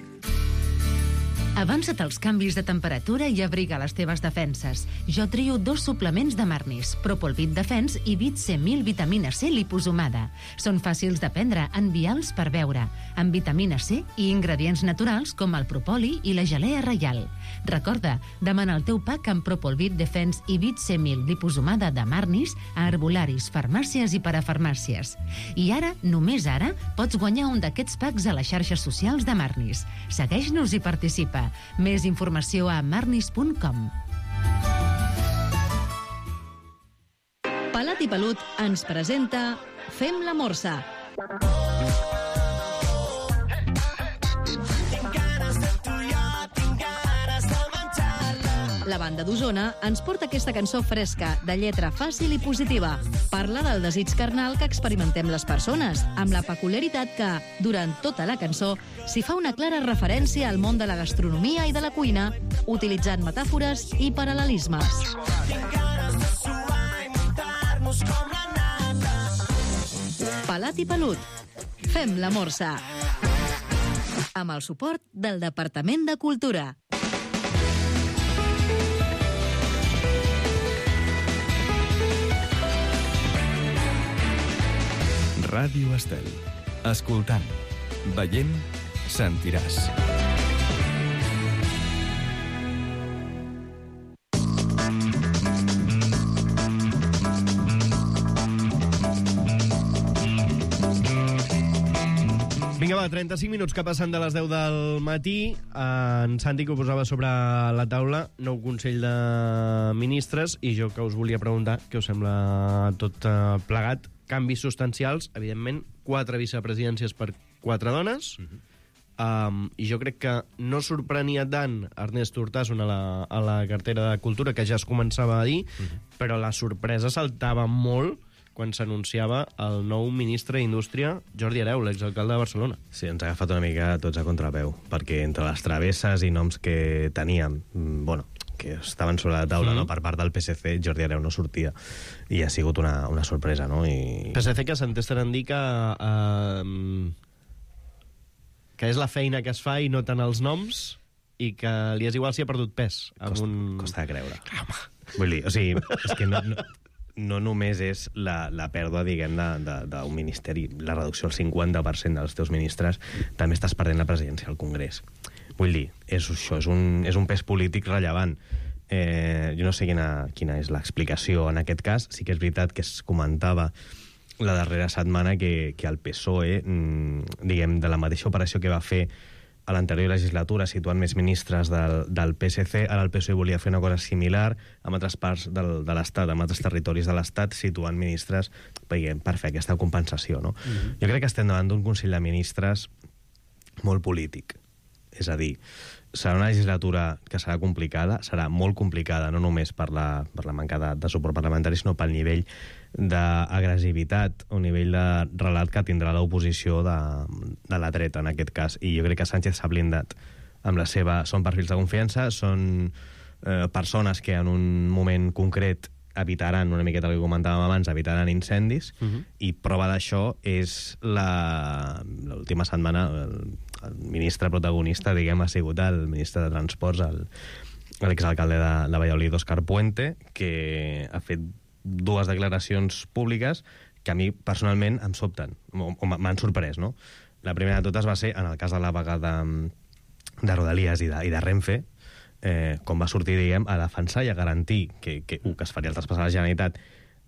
Avança't als canvis de temperatura i abriga les teves defenses. Jo trio dos suplements de Marnis, Propolvit Defens i Vit C mil vitamina C liposomada. Són fàcils de prendre, envials per beure, amb vitamina C i ingredients naturals com el propoli i la gelea reial. Recorda, demana el teu pack amb Propolvit Defens i Vit C mil liposomada de Marnis a herbolaris, farmàcies i parafarmàcies. I ara, només ara, pots guanyar un d'aquests packs a les xarxes socials de Marnis. Segueix-nos i participa. Més informació a marnis punt com. Pelat i Pelut ens presenta Fem la Morsa. La banda d'Osona ens porta aquesta cançó fresca, de lletra fàcil i positiva. Parla del desig carnal que experimentem les persones, amb la peculiaritat que, durant tota la cançó, s'hi fa una clara referència al món de la gastronomia i de la cuina, utilitzant metàfores i paral·lelismes. Pelat i Pelut. Fem la Morsa. Amb el suport del Departament de Cultura. Ràdio Estel. Escoltant, veient, sentiràs. Vinga, va, trenta-cinc minuts que passen de les deu del matí. En Santi, que ho posava sobre la taula, nou Consell de Ministres, i jo que us volia preguntar què us sembla tot plegat. Canvis substancials, evidentment, quatre vicepresidències per quatre dones, uh-huh. um, i jo crec que no sorprenia tant Ernest Urtasun a la, a la cartera de Cultura, que ja es començava a dir, uh-huh. però la sorpresa saltava molt quan s'anunciava el nou ministre d'Indústria, Jordi Hereu, l'exalcalde de Barcelona. Sí, ens ha agafat una mica tots a contrapeu, perquè entre les travesses i noms que teníem, bueno, que estaven sobre la taula, mm. no? Per part del P S C, Jordi Hereu no sortia, i ha sigut una, una sorpresa, no? I... P S C que s'entesten en dir que, uh, que és la feina que es fa i no tant els noms, i que li és igual si ha perdut pes. Costa, un... costa de creure. Home. Vull dir, o sigui, és que no... no... no només és la, la pèrdua, diguem, d'un ministeri, la reducció al cinquanta per cent dels teus ministres, també estàs perdent la presidència al Congrés. Vull dir, és això, és un, és un pes polític rellevant. Eh, jo no sé quina, quina és l'explicació en aquest cas. Sí que és veritat que es comentava la darrera setmana que, que el P S O E, diguem, de la mateixa operació que va fer a l'anterior legislatura, situant més ministres del, del P S C, ara el P S O E volia fer una cosa similar amb altres parts del, de l'Estat, amb altres territoris de l'Estat, situant ministres per fer aquesta compensació, no? Mm-hmm. Jo crec que estem davant d'un Consell de Ministres molt polític. És a dir, serà una legislatura que serà complicada, serà molt complicada, no només per la, per la manca de, de suport parlamentari, sinó pel nivell d'agressivitat o nivell de relat que tindrà l'oposició de, de la dreta, en aquest cas. I jo crec que Sánchez s'ha blindat amb la seva... Són perfils de confiança, són eh, persones que en un moment concret evitaran, una miqueta el que comentàvem abans, evitaran incendis, uh-huh. i prova d'això és la l'última setmana el, el ministre protagonista, diguem, ha sigut el ministre de Transports, l'exalcalde de, de Valladolid, Òscar Puente, que ha fet dues declaracions públiques que a mi personalment em sobten, o, o m'han sorprès, no? La primera de totes va ser en el cas de la vaga de, de Rodalies i de, i de Renfe, Eh, com va sortir, diguem, a defensar i a garantir que, que, uh, que es faria el traspàs a la Generalitat,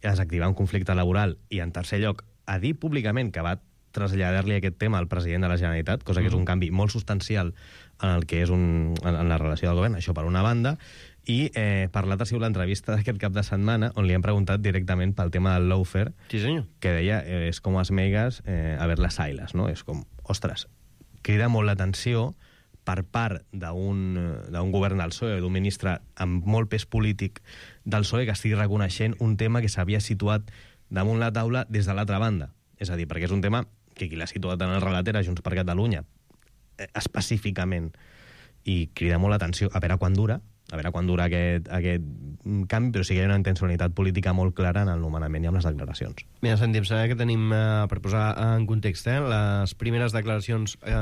a desactivar un conflicte laboral, i en tercer lloc a dir públicament que va traslladar-li aquest tema al president de la Generalitat, cosa que és un canvi molt substancial en el que és un, en, en la relació del govern, això per una banda, i eh, per l'altra ha sigut l'entrevista d'aquest cap de setmana on li han preguntat directament pel tema del lawfare, sí, senyor. Que deia, eh, és com as meigas eh, a ver las ailas, no? És com, ostres, crida molt l'atenció per part d'un d'un govern del P S O E, d'un ministre amb molt pes polític del P S O E, que estigui reconeixent un tema que s'havia situat damunt la taula des de l'altra banda. És a dir, perquè és un tema que qui l'ha situat en el relat era Junts per Catalunya, eh, específicament, i crida molt l'atenció a veure quan dura, a veure quan dura aquest, aquest canvi, però sí que hi ha una intencionalitat política molt clara en el nomenament i amb les declaracions. Mira, Santi, em sembla que tenim, eh, per posar en context, eh, les primeres declaracions eh,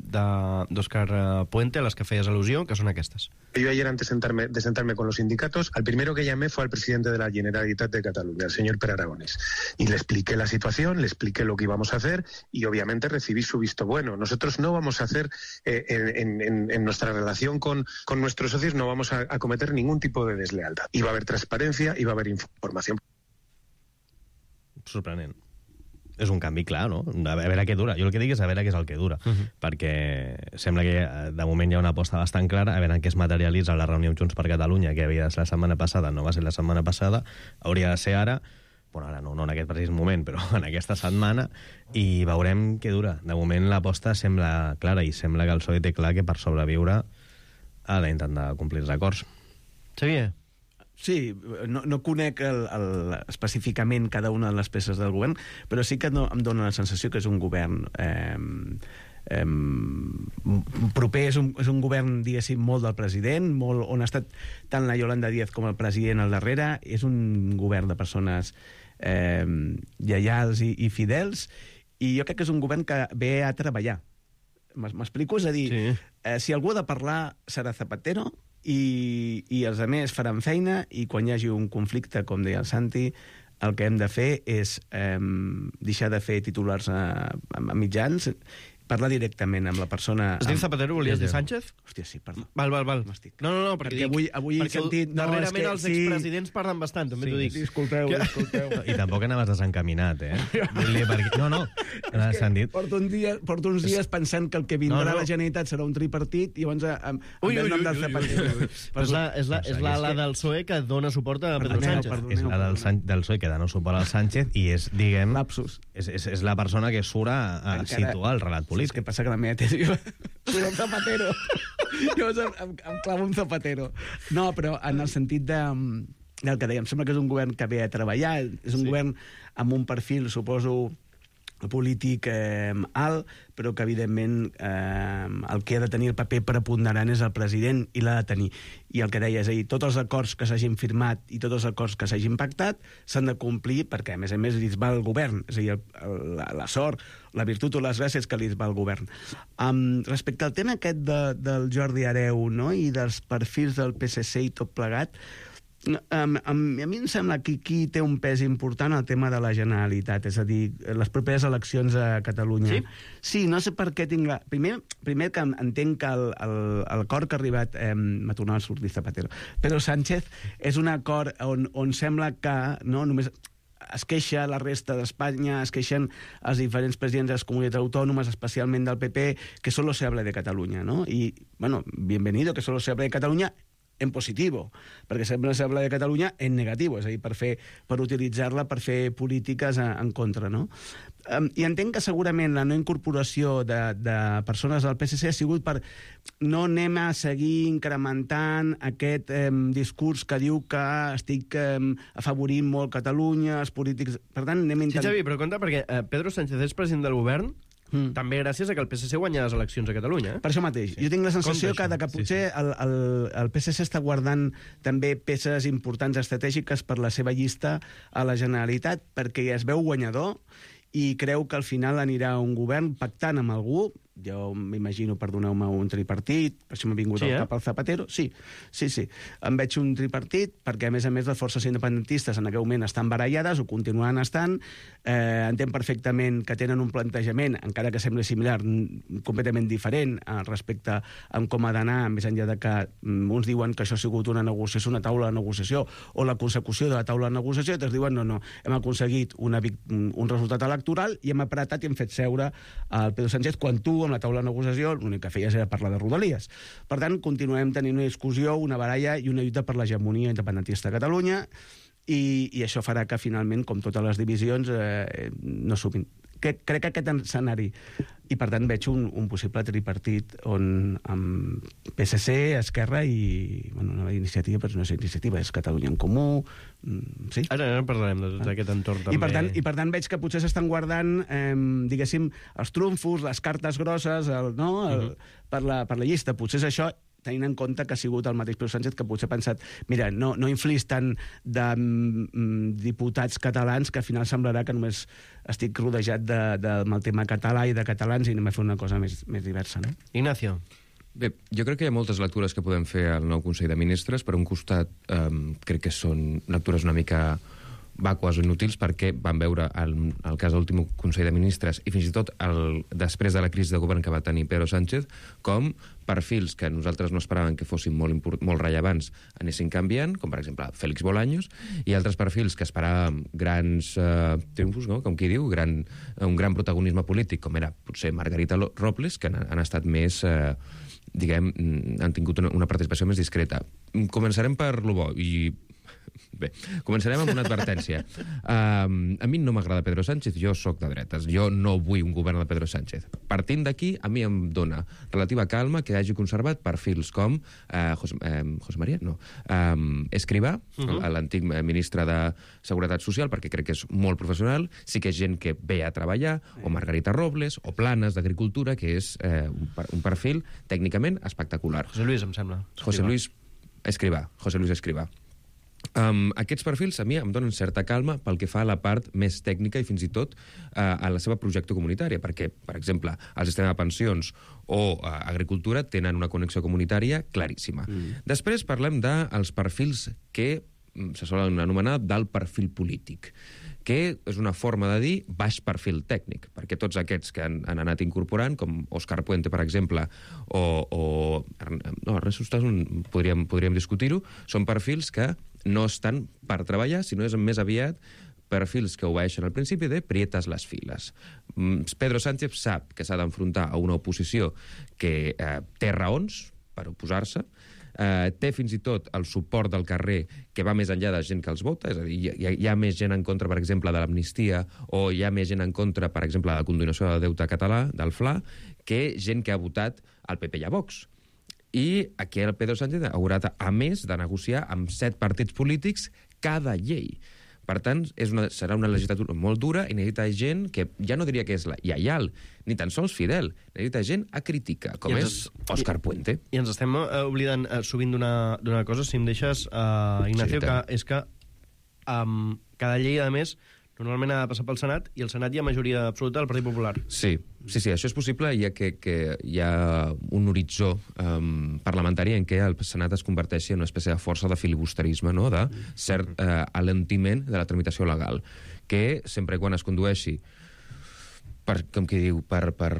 d'Òscar Puente, a les que feies al·lusió, que són aquestes. Yo ayer, antes de sentarme, de sentarme con los sindicatos, al primero que llamé fue al presidente de la Generalitat de Cataluña, el señor Pere Aragonès. Y le expliqué la situación, le expliqué lo que íbamos a hacer y obviamente recibí su visto bueno. Nosotros no vamos a hacer, eh, en, en, en nuestra relación con, con nuestros socios, no vamos a, a cometer ningún tipo de deslealtad. I va haver transparència, i va haver informació. Sorprenent. És un canvi clar, no? A veure què dura. Jo el que dic és a veure què és el que dura, uh -huh. perquè sembla que de moment hi ha una aposta bastant clara, a veure en què es materialitza la reunió amb Junts per Catalunya, que havia de ser la setmana passada, no va ser la setmana passada, hauria de ser ara, bueno, ara no, no en aquest precís moment, però en aquesta setmana, i veurem què dura. De moment l'aposta sembla clara i sembla que el P S O E té clar que per sobreviure ha d'intentar complir els acords. Xavier? Sí, no, no conec el, el, específicament cada una de les peces del govern, però sí que no, em dóna la sensació que és un govern eh, eh, proper, és un, és un govern, diguéssim, molt del president, molt, on ha estat tant la Yolanda Díaz com el president al darrere. És un govern de persones eh, lleials i, i fidels, i jo crec que és un govern que ve a treballar. M'explico? És a dir, sí. eh, si algú ha de parlar serà Zapatero, i, i els altres faran feina, i quan hi hagi un conflicte, com deia el Santi, el que hem de fer és eh, deixar de fer titulars a, a mitjans, parlar directament amb la persona... Es diu Zapatero, volies dir Sánchez? Hòstia, sí, perdó. Val, val, val. No, no, no, perquè, perquè avui, avui perquè he sentit... Darrerament no, que, els expresidents sí. parlen bastant, també sí, t'ho dic. Disculpeu, que... disculpeu. I tampoc anaves desencaminat, eh? Perquè... No, no, no sentit. Porto, un dia, porto uns dies pensant que el que vindrà no, no. a la Generalitat serà un tripartit, i llavors em, em ve el nom del Zapatero. És la, és la, és la, la del P S O E que dona suport a Pedro Sánchez. És la del, del P S O E que dona suport al Sánchez i és, diguem... Lapsus. És, és, és la persona que surt a, a situar el relat polític. És que passa que la meva tesi surt un Zapatero. Llavors em, em, em clavo un Zapatero. No, però en el sentit de... del que dèiem, sembla que és un govern que ve a treballar, és un sí. govern amb un perfil, suposo, polític eh, alt, però que evidentment eh, el que ha de tenir el paper preponderant és el president, i l'ha de tenir. I el que deia, és a dir, tots els acords que s'hagin firmat i tots els acords que s'hagin pactat s'han de complir, perquè a més a més li va el govern, és a dir, el, el, la, la sort, la virtut o les gràcies que li va al govern. Um, respecte al tema aquest de, del Jordi Hereu, no?, i dels perfils del P S C i tot plegat, Um, um, a mi em sembla que aquí té un pes important el tema de la Generalitat, és a dir, les properes eleccions a Catalunya. Sí? Sí, no sé per què tinc la... Primer, primer que entenc que l'acord que ha arribat... Eh, m'ha tornat a sortir Zapatero. Però Sánchez és un acord on, on sembla que no només es queixa la resta d'Espanya, es queixen els diferents presidents de les comunitats autònomes, especialment del P P, que solo se habla de Catalunya, ¿no? Y, bueno, bienvenido, que solo se habla de Catalunya en positivo, perquè sempre s'habla de Catalunya en negatiu, és a dir, per, fer, per utilitzar-la per fer polítiques en, en contra, no? Um, I entenc que segurament la no incorporació de, de persones del P S C ha sigut per no anem a seguir incrementant aquest um, discurs que diu que estic um, afavorint molt Catalunya, els polítics... Per tant, anem a intentar... Sí, Xavi, però compte, perquè uh, Pedro Sánchez és president del govern, Mm. també gràcies a que el P S C guanya les eleccions a Catalunya. Eh? Per això mateix. Sí. Jo tinc la sensació que, que potser sí, sí. El, el, el P S C està guardant també peces importants estratègiques per la seva llista a la Generalitat, perquè es veu guanyador i creu que al final anirà un govern pactant amb algú, jo m'imagino, perdoneu-me, un tripartit, per això m'ha vingut Sí, al eh? cap el Zapatero. Sí, sí, sí. Em veig un tripartit perquè, a més a més, les forces independentistes en aquell moment estan barallades, ho continuen estant, eh, entenc perfectament que tenen un plantejament, encara que sembli similar, n- completament diferent eh, respecte a com ha d'anar, més enllà de que mm, uns diuen que això ha sigut una negociació, una taula de negociació, o la consecució de la taula de negociació, i altres diuen no, no, hem aconseguit una, vic- un resultat electoral i hem apretat i hem fet seure el Pedro Sánchez quan tu, amb la taula de negociació, l'únic que feies era parlar de Rodalies. Per tant, continuem tenint una discussió, una baralla i una lluita per l'hegemonia independentista a Catalunya, i, i això farà que, finalment, com totes les divisions, eh, no sumin. Que, crec que aquest escenari, i per tant veig un, un possible tripartit on amb P S C, Esquerra i bueno, una iniciativa, però no és iniciativa, és Catalunya en Comú, mm, sí? Ara, ara parlarem de tot Ah. aquest entorn també. I per, tant, I per tant veig que potser s'estan guardant, eh, diguéssim, els trumfos, les cartes grosses, el, no? el, uh -huh. per, la, per la llista. Potser és això, tenint en compte que ha sigut el mateix Pedro Sánchez que potser ha pensat, mira, no, no inflis tant de mm, diputats catalans que al final semblarà que només estic rodejat de, de, amb el tema català i de catalans i anem a fer una cosa més, més diversa, no? Ignacio. Bé, jo crec que hi ha moltes lectures que podem fer al nou Consell de Ministres. Per un costat, eh, crec que són lectures una mica vàcues o inútils perquè van veure el, el cas de l'últim Consell de Ministres i fins i tot el, després de la crisi de govern que va tenir Pedro Sánchez, com perfils que nosaltres no esperàvem que fossin molt, import, molt rellevants anessin canviant, com per exemple Félix Bolaños, i altres perfils que esperàvem grans eh, triomfos, no? Com qui diu, gran, un gran protagonisme polític, com era potser Margarita Robles, que han, han estat més... Eh, diguem, han tingut una, una participació més discreta. Començarem per lo bo, i bé, començarem amb una advertència. Um, a mi no m'agrada Pedro Sánchez, jo sóc de dretes, jo no vull un govern de Pedro Sánchez. Partint d'aquí, a mi em dona relativa calma que hagi conservat perfils com uh, José, uh, José María, no, um, Escrivà, uh -huh. l'antic ministre de Seguretat Social, perquè crec que és molt professional, sí que és gent que ve a treballar, o Margarita Robles, o Planes d'Agricultura, que és uh, un, un perfil tècnicament espectacular. José Luis, em sembla. José Luis Escrivà, José Luis Escrivà. Um, aquests perfils a mi em donen certa calma pel que fa a la part més tècnica i fins i tot uh, a la seva projecte comunitària, perquè, per exemple, el sistema de pensions o uh, agricultura tenen una connexió comunitària claríssima. Mm. Després parlem dels perfils que se solen anomenar del perfil polític, que és una forma de dir baix perfil tècnic, perquè tots aquests que han, han anat incorporant, com Òscar Puente, per exemple, o... o no, Ernest Ustason, podríem, podríem discutir-ho, són perfils que no estan per treballar, sinó és més aviat perfils que obeeixen al principi de prietes les files. Pedro Sánchez sap que s'ha d'enfrontar a una oposició que eh, té raons per oposar-se, Uh, té fins i tot el suport del carrer que va més enllà de gent que els vota, és a dir, hi ha, hi ha més gent en contra, per exemple, de l'amnistia, o hi ha més gent en contra, per exemple, de la condonació del deute català, del F L A, que gent que ha votat al P P i a Vox. I aquí el Pedro Sánchez haurà, a més, de negociar amb set partits polítics cada llei. Per tant, és una, serà una legislatura molt dura i necessita gent que ja no diria que és la lleial, ni tan sols fidel, necessita gent a crítica, com I és ens, Òscar i, Puente. I ens estem uh, oblidant uh, sovint d'una cosa, si em deixes, uh, Ignacio, Sí, que és que um, cada llei, a més, normalment ha de passar pel Senat, i el Senat hi ha majoria absoluta del Partit Popular. Sí, sí, sí, això és possible, ja que, que hi ha un horitzó um, parlamentari en què el Senat es converteixi en una espècie de força de filibusterisme, no?, de cert uh, alentiment de la tramitació legal, que sempre i quan es condueixi per, com qui diu, per, per,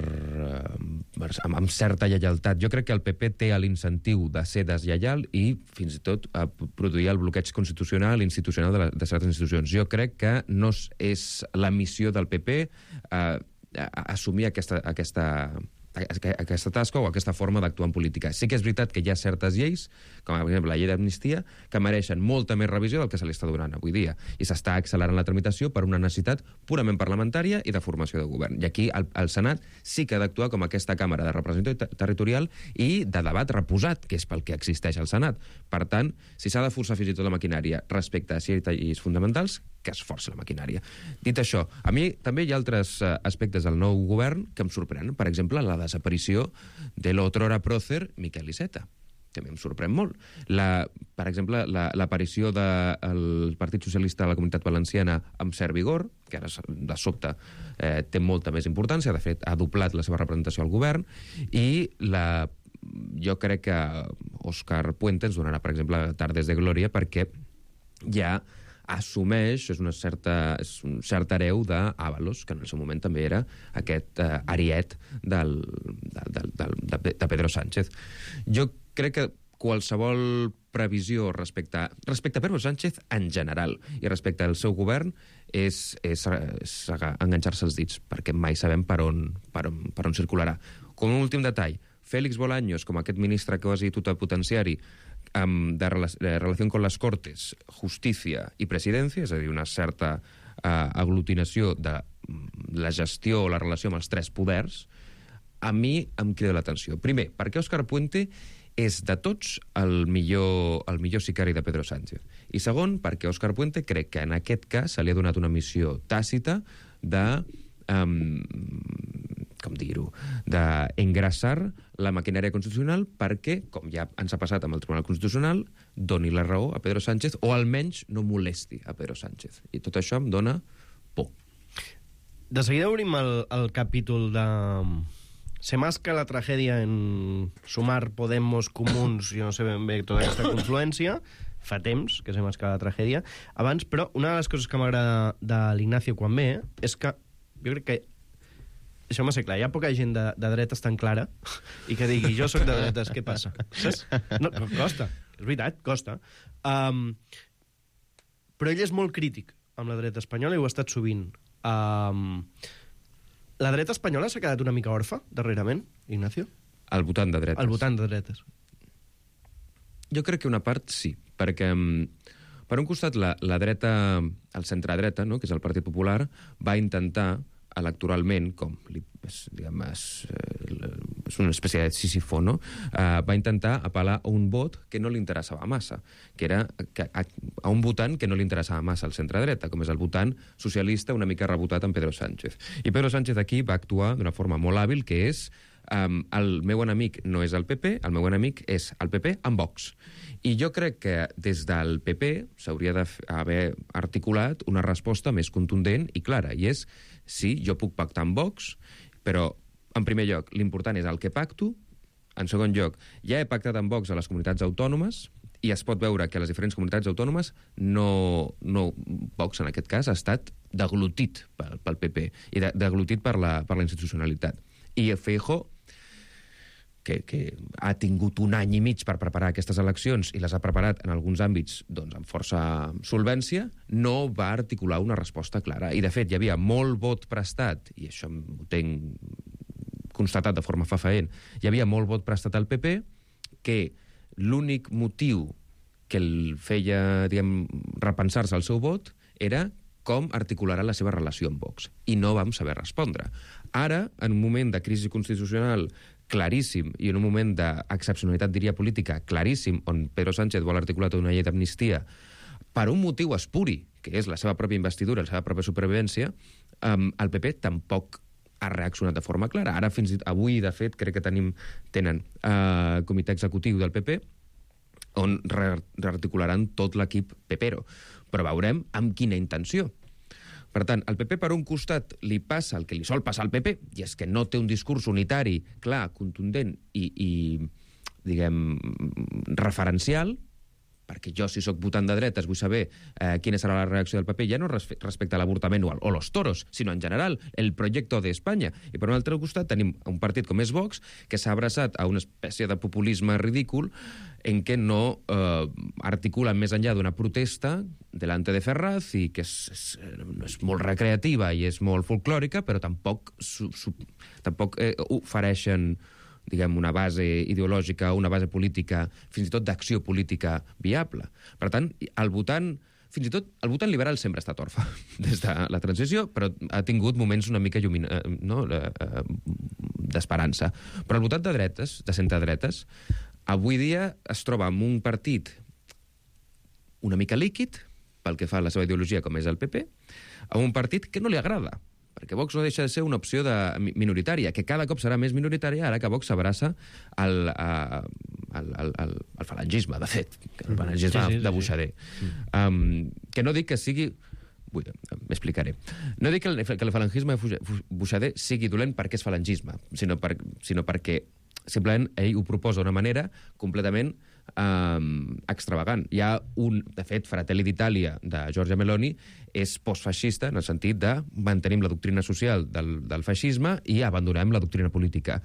per, amb, amb certa lleialtat. Jo crec que el P P té l'incentiu de ser deslleial i fins i tot a produir el bloqueig constitucional i institucional de, la, de certes institucions. Jo crec que no és la missió del P P eh, assumir aquesta, aquesta, aquesta tasca o aquesta forma d'actuar en política. Sí que és veritat que hi ha certes lleis, com per exemple la llei d'amnistia, que mereixen molta més revisió del que se li està donant avui dia. I s'està accelerant la tramitació per una necessitat purament parlamentària i de formació de govern. I aquí el, el Senat sí que ha d'actuar com aquesta càmera de representació territorial i de debat reposat, que és pel que existeix el Senat. Per tant, si s'ha de forçar fins i tot la maquinària respecte a certes lleis fonamentals, que es força la maquinària. Dit això, a mi també hi ha altres uh, aspectes del nou govern que em sorprenen. Per exemple, la desaparició de l'otrora prócer Miquel Iceta. també em sorprèn molt. La, per exemple, l'aparició la, del Partit Socialista de la Comunitat Valenciana amb cert vigor, que ara de sobte eh, té molta més importància, de fet ha doblat la seva representació al govern, i la, jo crec que Òscar Puente ens donarà, per exemple, Tardes de Glòria, perquè ja assumeix, és, una certa, és un cert hereu d'Ábalos, que en el seu moment també era aquest eh, ariet del, del, del, de, de Pedro Sánchez. Jo crec que qualsevol previsió respecte, respecte a Pedro Sánchez en general i respecte al seu govern és, és, és enganxar-se els dits, perquè mai sabem per on, per on, per on circularà. Com un últim detall, Félix Bolaños, com aquest ministre quasi totalpotenciari um, de, rela de relació con les Cortes, Justícia i Presidència, és a dir, una certa uh, aglutinació de la gestió o la relació amb els tres poders, a mi em crida l'atenció. Primer, perquè Òscar Puente és de tots el millor, el millor sicari de Pedro Sánchez. I segon, perquè Òscar Puente crec que en aquest cas se li ha donat una missió tàcita de, um, com dir-ho, d'engrassar la maquinària constitucional perquè, com ja ens ha passat amb el Tribunal Constitucional, doni la raó a Pedro Sánchez o almenys no molesti a Pedro Sánchez. I tot això em dona por. De seguida obrim el, el capítol de... Se masca la tragèdia en Sumar, Podemos, Comuns, jo no sé ben bé tota aquesta confluència, fa temps que se masca la tragèdia. Abans, però, una de les coses que m'agrada de l'Ignacio quan ve és que jo crec que, deixeu-me ser clar, hi ha poca gent de, de dretes tan clara i que digui, jo sóc de dretes, què passa? Saps? No, costa, és veritat, costa. Um, però ell és molt crític amb la dreta espanyola i ho ha estat sovint. Um, La dreta espanyola s'ha quedat una mica orfa, darrerament, Ignacio? Al votant de dretes. Al votant de dretes. Jo crec que una part sí, perquè per un costat la, la dreta, el centre-dreta, no?, que és el Partit Popular, va intentar electoralment, com és, diguem, és, és una espècie de Sísifo, no? Uh, va intentar apel·lar a un vot que no li interessava massa, que era que, a, a un votant que no li interessava massa al centre-dreta, com és el votant socialista una mica rebotat amb Pedro Sánchez. I Pedro Sánchez aquí va actuar d'una forma molt hàbil, que és um, el meu enemic no és el P P, el meu enemic és el P P amb Vox. I jo crec que des del P P s'hauria d'haver articulat una resposta més contundent i clara, i és, sí, jo puc pactar amb Vox, però, en primer lloc, l'important és el que pacto. En segon lloc, ja he pactat amb Vox a les comunitats autònomes i es pot veure que a les diferents comunitats autònomes no, no Vox, en aquest cas, ha estat deglutit pel, pel P P i de, deglutit per la, per la institucionalitat. I Feijóo, que, que ha tingut un any i mig per preparar aquestes eleccions i les ha preparat en alguns àmbits doncs, amb força solvència, no va articular una resposta clara. I, de fet, hi havia molt vot prestat, i això ho tenc constatat de forma fefaent, hi havia molt vot prestat al P P, que l'únic motiu que el feia, diguem, repensar-se el seu vot era com articularà la seva relació amb Vox. I no vam saber respondre. Ara, en un moment de crisi constitucional claríssim i en un moment d'excepcionalitat, diria, política claríssim, on Pedro Sánchez vol articular tota una llei d'amnistia per un motiu espuri, que és la seva pròpia investidura, la seva pròpia supervivència, um, el P P tampoc ha reaccionat de forma clara. Ara, fins i tot avui, de fet, crec que tenim, tenen uh, comitè executiu del P P on re rearticularan tot l'equip pepero. Però veurem amb quina intenció. Per tant, el P P, per un costat, li passa el que li sol passar al P P, i és que no té un discurs unitari, clar, contundent i, i diguem, referencial, perquè jo, si sóc votant de dretes, vull saber eh, quina serà la reacció del P P, ja no respecte a l'avortament o, o los toros, sinó en general, el projecte d'Espanya. I per un altre costat tenim un partit com és Vox, que s'ha abraçat a una espècie de populisme ridícul en què no eh, articulen més enllà d'una protesta delante de Ferraz i que és, és, és molt recreativa i és molt folclòrica, però tampoc, su, su, tampoc eh, ofereixen, diguem, una base ideològica, una base política, fins i tot d'acció política viable. Per tant, el votant, fins i tot, el votant liberal sempre ha estat orfe des de la transició, però ha tingut moments una mica llumina, no, d'esperança. Però el votant de dretes, de centredretes, avui dia es troba amb un partit una mica líquid, pel que fa a la seva ideologia, com és el P P, amb un partit que no li agrada, perquè Vox no deixa de ser una opció de minoritària, que cada cop serà més minoritària ara que Vox s'abraça al, a, el, el, el, el falangisme, de fet, el falangisme sí, sí, sí, de Buixader. Sí. Um, que no dic que sigui... Vull, m'explicaré. No dic que el, que el falangisme de Buixader sigui dolent perquè és falangisme, sinó, per, sinó perquè simplement ell ho proposa d'una manera completament um, extravagant. Hi ha un, de fet, Fratelli d'Itàlia de Giorgia Meloni és postfeixista en el sentit de mantenim la doctrina social del, del feixisme i abandonem la doctrina política.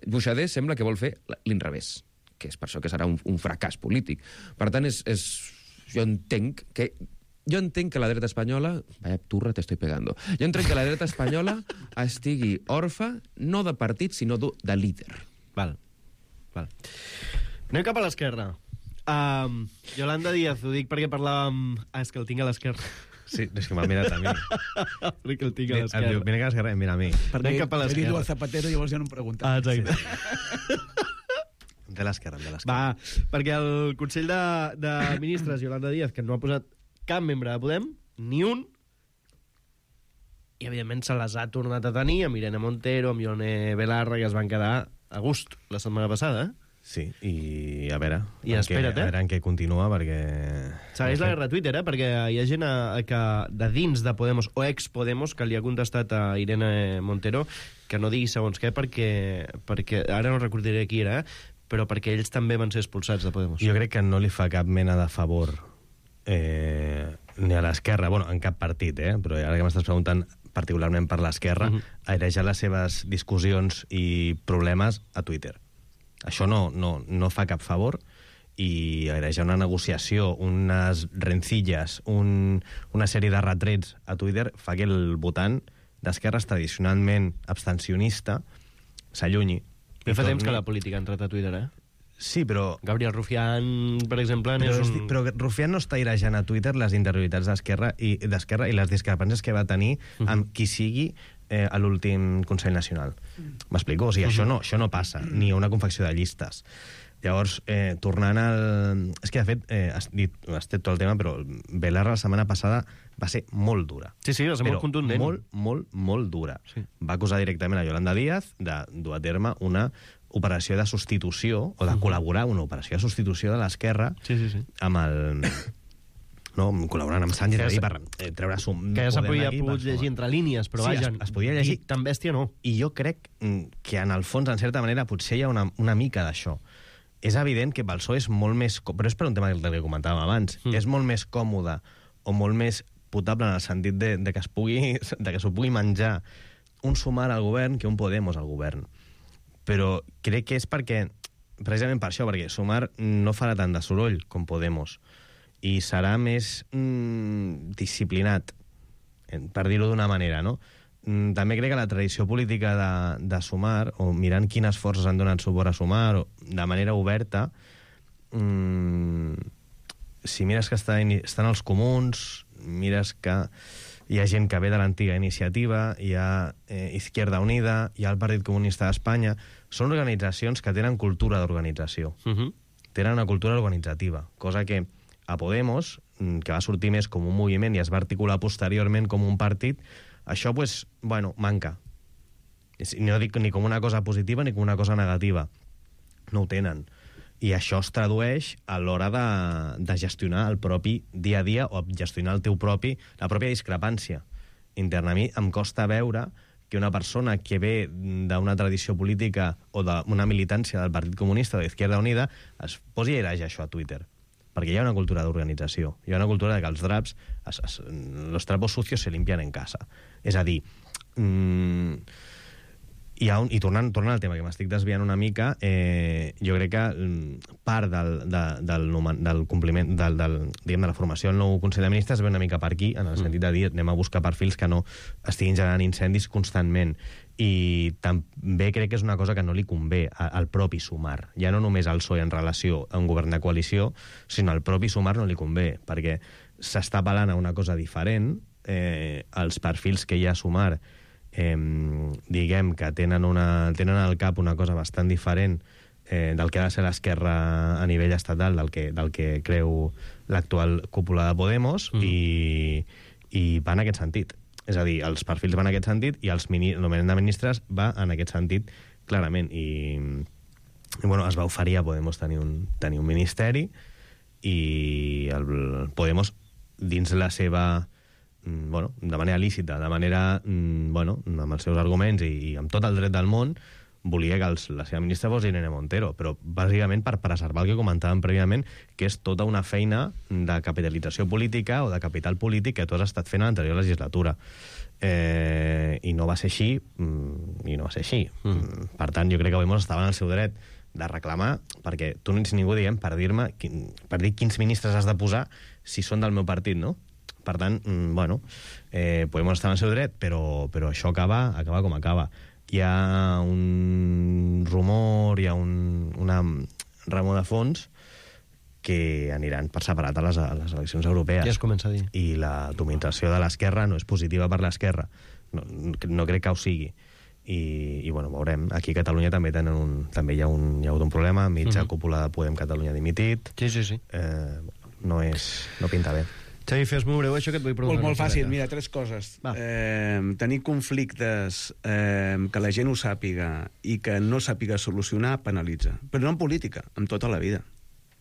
Buixader sembla que vol fer l'inrevés, que és per això que serà un, un fracàs polític. Per tant, és, és, jo entenc que Jo entenc que la dreta espanyola... Vaya turra, t'estoy pegando. Jo entenc que la dreta espanyola estigui orfa, no de partit, sinó de líder. Val. Val. Anem cap a l'esquerra. Um, Yolanda Díaz, ho dic perquè parlàvem... Ah, és que el tinc a l'esquerra. Sí, és que m'ha mirat a mi. Perquè el tinc a l'esquerra. El mira que a l'esquerra em mira a mi. Anem cap a He dit l'esquerra. al Zapatero i llavors ja no em pregunta. Ah, exacte. Sí. De l'esquerra, de l'esquerra. Va, perquè el Consell de, de Ministres, Yolanda Díaz, que no ha posat cap membre de Podem, ni un, i evidentment se les ha tornat a tenir amb Irene Montero, amb Ione Belarra, que es van quedar a gust la setmana passada, eh? Sí, i a veure... I espera't, eh? A veure en què continua, perquè... Segueix la guerra a Twitter, eh? Perquè hi ha gent a, a que de dins de Podemos, o ex-Podemos, que li ha contestat a Irene Montero que no digui segons què, perquè, perquè ara no recordaré qui era, eh? Però perquè ells també van ser expulsats de Podemos. Jo crec que no li fa cap mena de favor eh, ni a l'esquerra, bueno, en cap partit, eh? Però ara que m'estàs preguntant particularment per l'esquerra, uh -huh. airejar les seves discussions i problemes a Twitter. Això no, no, no fa cap favor, i airejar una negociació, unes rencilles, un, una sèrie de retrets a Twitter fa que el votant d'esquerres tradicionalment abstencionista s'allunyi. Ja fa temps que la política ha entrat a Twitter, eh? Sí, però... Gabriel Rufián, per exemple, Però, és un... un... però Rufián no està airejant a Twitter les interioritats d'esquerra i d'esquerra i les discrepàncies que va tenir uh-huh. amb qui sigui eh, a l'últim Consell Nacional. M'explico? O sigui, uh-huh. això, no, això no passa, ni una confecció de llistes. Llavors, eh, tornant al... És que, de fet, eh, has dit, has dit tot el tema, però Belarra la setmana passada va ser molt dura. Sí, sí, va ser però molt contundent. molt, molt, molt dura. Sí. Va acusar directament a Yolanda Díaz de dur a terme una operació de substitució, o de col·laborar una operació de substitució de l'esquerra sí, sí, sí. amb el... No, col·laborant amb Sánchez Que ja per eh, treure sum... Que ja s'ha Podem podia aquí pogut per llegir sumar. entre línies, però Sí, vaja... es- es podia llegir. Tan bèstia no. I jo crec mm, que en el fons, en certa manera, potser hi ha una, una mica d'això. És evident que pel P S O E és molt més... co- Però és per un tema del que comentàvem abans. Mm. És molt més còmode o molt més potable en el sentit de, de que es pugui, de que s'ho pugui menjar un Sumar al govern que un Podemos al govern. Però crec que és perquè, precisament per això, perquè Sumar no farà tant de soroll com Podemos i serà més mm, disciplinat, per dir-ho d'una manera, no? Mm, També crec que la tradició política de, de Sumar, o mirant quines forces han donat suport a Sumar, o de manera oberta, mm, si mires que està, estan els comuns, mires que hi ha gent que ve de l'antiga iniciativa, hi ha eh, Izquierda Unida, hi ha el Partit Comunista d'Espanya, són organitzacions que tenen cultura d'organització. Uh -huh. Tenen una cultura organitzativa, cosa que a Podemos, que va sortir més com un moviment i es va articular posteriorment com un partit, això, pues, bueno, manca. No dic ni com una cosa positiva ni com una cosa negativa. No ho tenen. I això es tradueix a l'hora de, de gestionar el propi dia a dia o gestionar el teu propi, la pròpia discrepància interna. A mi em costa veure que una persona que ve d'una tradició política o d'una militància del Partit Comunista o d'Izquierda Unida es posi a airejar això a Twitter. Perquè hi ha una cultura d'organització. Hi ha una cultura de que els draps, es, es, los trapos sucios se limpian en casa. És a dir, mmm, hi ha un, i tornant, tornant al tema, que m'estic desviant una mica, eh, jo crec que mm, part del, de, del, del compliment, del, del, diguem, de la formació del nou Consell de Ministres ve una mica per aquí, en el sentit de dir, anem a buscar perfils que no estiguin generant incendis constantment. I també crec que és una cosa que no li convé al propi Sumar. Ja no només al P S O E en relació a un govern de coalició, sinó al propi Sumar no li convé, perquè s'està apel·lant a una cosa diferent. Eh, els perfils que hi ha a Sumar, eh, diguem que tenen, una, tenen al cap una cosa bastant diferent eh, del que ha de ser l'esquerra a nivell estatal, del que, del que creu l'actual cúpula de Podemos, mm. i, i va en aquest sentit. És a dir, els perfils van en aquest sentit i el nomenament de ministres va en aquest sentit clarament. I, i bueno, es va oferir a Podemos tenir un, tenir un ministeri i el Podemos, dins la seva, bueno, de manera lícita, de manera, bueno, amb els seus arguments i, i amb tot el dret del món, volia que els, la seva ministra fos Irene Montero, però bàsicament per preservar el que comentàvem prèviament, que és tota una feina de capitalització política o de capital polític que tu has estat fent a l'anterior legislatura. Eh, I no va ser així, i no va ser així. Mm. Per tant, jo crec que Podemos estava en el seu dret de reclamar, perquè tu no ets ningú, diguem, per dir-me, per dir quins ministres has de posar si són del meu partit, no? Per tant, bueno, eh, Podemos estar en el seu dret, però, però això acaba, acaba com acaba. Hi ha un rumor, hi ha un, una remor de fons que aniran per separat a les, a les eleccions europees. Ja es comença a dir. I la dominació de l'esquerra no és positiva per l'esquerra. No, no crec que ho sigui. I, i bueno, veurem. Aquí a Catalunya també tenen un, també hi ha un, hi ha hagut un problema, mitja uh-huh. cúpula de Podem Catalunya dimitit. Sí, sí, sí. Eh, no, és, no pinta bé. Xavi, fes molt breu això que et vull preguntar. Molt, molt fàcil, mira, tres coses. Eh, tenir conflictes eh, que la gent ho sàpiga i que no sàpiga solucionar penalitza. Però no en política, en tota la vida.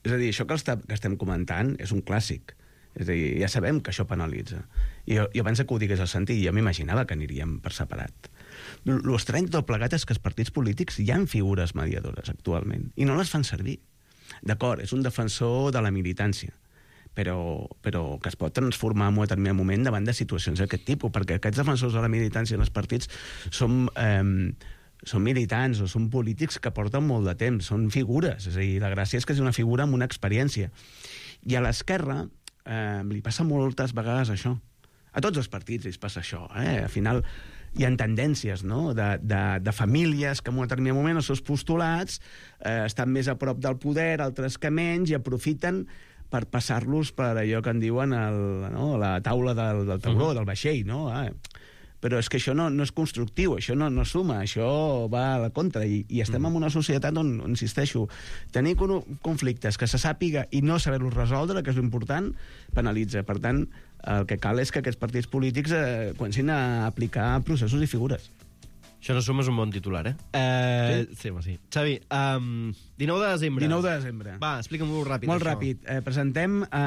És a dir, això que, està, que estem comentant és un clàssic. És a dir, ja sabem que això penalitza. I jo, jo abans que ho digués al sentit, jo m'imaginava que aniríem per separat. L'estrany tot plegat és que els partits polítics hi ha figures mediadores actualment i no les fan servir. D'acord, és un defensor de la militància, però, però que es pot transformar en un determinat moment davant de situacions d'aquest tipus, perquè aquests defensors de la militància en els partits són, eh, són militants o són polítics que porten molt de temps, són figures, és a dir, la gràcia és que és una figura amb una experiència. I a l'esquerra eh, li passa moltes vegades això. A tots els partits els passa això, eh? Al final hi ha tendències, no?, de, de, de famílies que en un determinat moment els seus postulats eh, estan més a prop del poder, altres que menys, i aprofiten per passar-los per allò que en diuen el, no?, la taula del, del tauró, uh-huh. del vaixell, no? Ah, però és que això no, no és constructiu, això no, no suma, això va a la contra, i, i estem uh-huh. en una societat on, on, insisteixo, tenir conflictes que se sàpiga i no saber-los resoldre, que és l'important, penalitza. Per tant, el que cal és que aquests partits polítics eh, comencin a aplicar processos i figures. Això no suma és un bon titular, eh? eh sí? Sí, home, sí. Xavi, um, dinou de desembre. dinou de desembre. Va, explica'm-ho ràpid. Molt això. ràpid. Eh, presentem eh,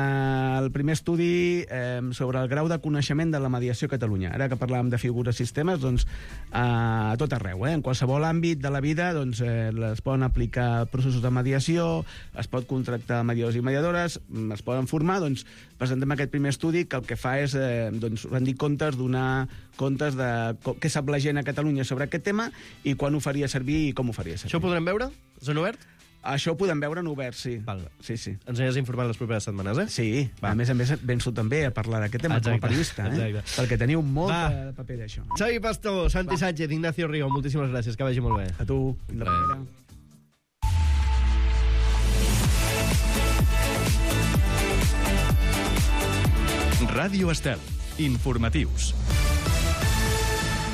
el primer estudi eh, sobre el grau de coneixement de la mediació a Catalunya. Ara que parlàvem de figures i sistemes, doncs, eh, a tot arreu, eh? En qualsevol àmbit de la vida, doncs, eh, es poden aplicar processos de mediació, es pot contractar mediadors i mediadores, es poden formar, doncs, presentem aquest primer estudi que el que fa és, eh, doncs, rendir comptes, donar comptes de què sap la gent a Catalunya sobre aquest tema i quan ho faria servir i com ho faria servir. Això ho podrem veure? És en obert? Això ho podem veure en obert, sí. Val. Sí, sí. Ens aniràs informant les properes setmanes, eh? Sí. Va. A més a més, vens tu també a parlar d'aquest tema exacte, com a periodista, eh? Exacte. Perquè teniu molt Va. de paper d'això. Xavi Pastor, Santi Va. Sánchez, Ignacio Río, moltíssimes gràcies, que vagi molt bé. A tu. Fins la propera. Ràdio Estel. Informatius.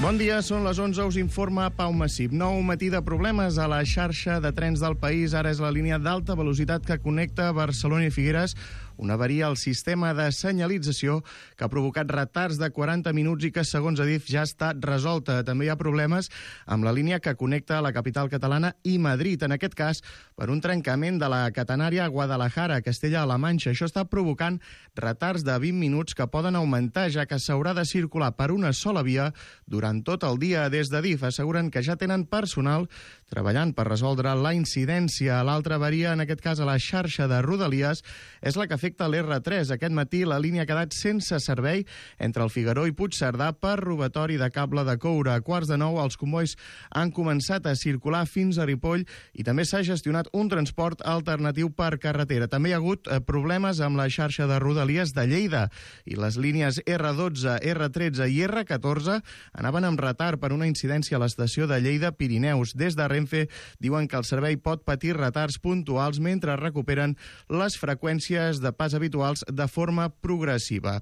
Bon dia, són les onze, us informa Pau Massip. Nou matí de problemes a la xarxa de trens del país. Ara és la línia d'alta velocitat que connecta Barcelona i Figueres. Una avaria al sistema de senyalització que ha provocat retards de quaranta minuts i que, segons Adif, ja està resolta. També hi ha problemes amb la línia que connecta la capital catalana i Madrid. En aquest cas, per un trencament de la catenària Guadalajara, Castella-La Manxa. Això està provocant retards de vint minuts que poden augmentar, ja que s'haurà de circular per una sola via durant tot el dia. Des d'Adif asseguren que ja tenen personal treballant per resoldre la incidència. L'altra avaria, en aquest cas a la xarxa de Rodalies, és la que afecta l'R tres. Aquest matí la línia ha quedat sense servei entre el Figaró i Puigcerdà per robatori de cable de coure. A quarts de nou els combois han començat a circular fins a Ripoll i també s'ha gestionat un transport alternatiu per carretera. També hi ha hagut problemes amb la xarxa de Rodalies de Lleida i les línies R dotze, R tretze i R catorze anaven amb retard per una incidència a l'estació de Lleida-Pirineus. Des de Renfe diuen que el servei pot patir retards puntuals mentre recuperen les freqüències de pas habituals de forma progressiva.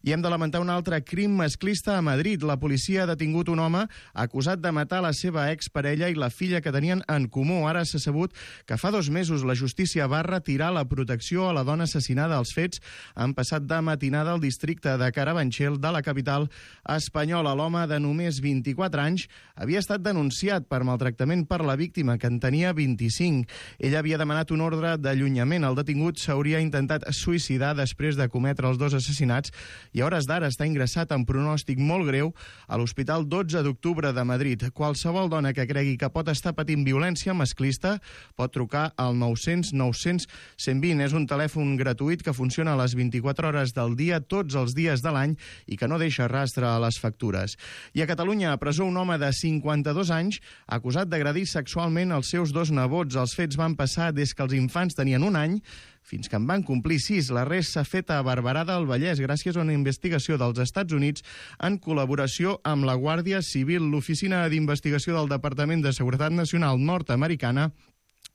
I hem de lamentar un altre crim masclista a Madrid. La policia ha detingut un home acusat de matar la seva exparella i la filla que tenien en comú. Ara s'ha sabut que fa dos mesos la justícia va retirar la protecció a la dona assassinada. Els fets han passat de matinada al districte de Carabanchel de la capital espanyola. L'home de només vint-i-quatre anys havia estat denunciat per maltractament per la víctima, que en tenia vint-i-cinc. Ella havia demanat un ordre d'allunyament. El detingut s'hauria intentat suïcidar després de cometre els dos assassinats i a hores d'ara està ingressat en pronòstic molt greu a l'Hospital dotze d'octubre de Madrid. Qualsevol dona que cregui que pot estar patint violència masclista pot trucar al nou cents nou cents cent vint. És un telèfon gratuït que funciona a les vint-i-quatre hores del dia, tots els dies de l'any, i que no deixa rastre a les factures. I a Catalunya, a presó, un home de cinquanta-dos anys acusat d'agredir sexualment els seus dos nebots. Els fets van passar des que els infants tenien un any fins que en van complir sis. L'arrest s'ha fet a Barberà del Vallès gràcies a una investigació dels Estats Units en col·laboració amb la Guàrdia Civil. L'Oficina d'Investigació del Departament de Seguretat Nacional nord-americana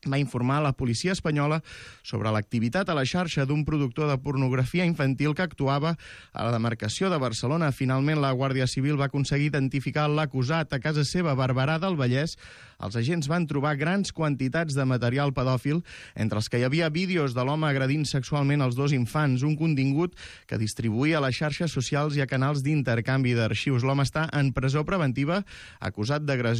va informar a la policia espanyola sobre l'activitat a la xarxa d'un productor de pornografia infantil que actuava a la demarcació de Barcelona. Finalment, la Guàrdia Civil va aconseguir identificar l'acusat a casa seva a Barberà del Vallès. Els agents van trobar grans quantitats de material pedòfil, entre els que hi havia vídeos de l'home agredint sexualment els dos infants, un contingut que distribuïa a les xarxes socials i a canals d'intercanvi d'arxius. L'home està en presó preventiva acusat d'agressió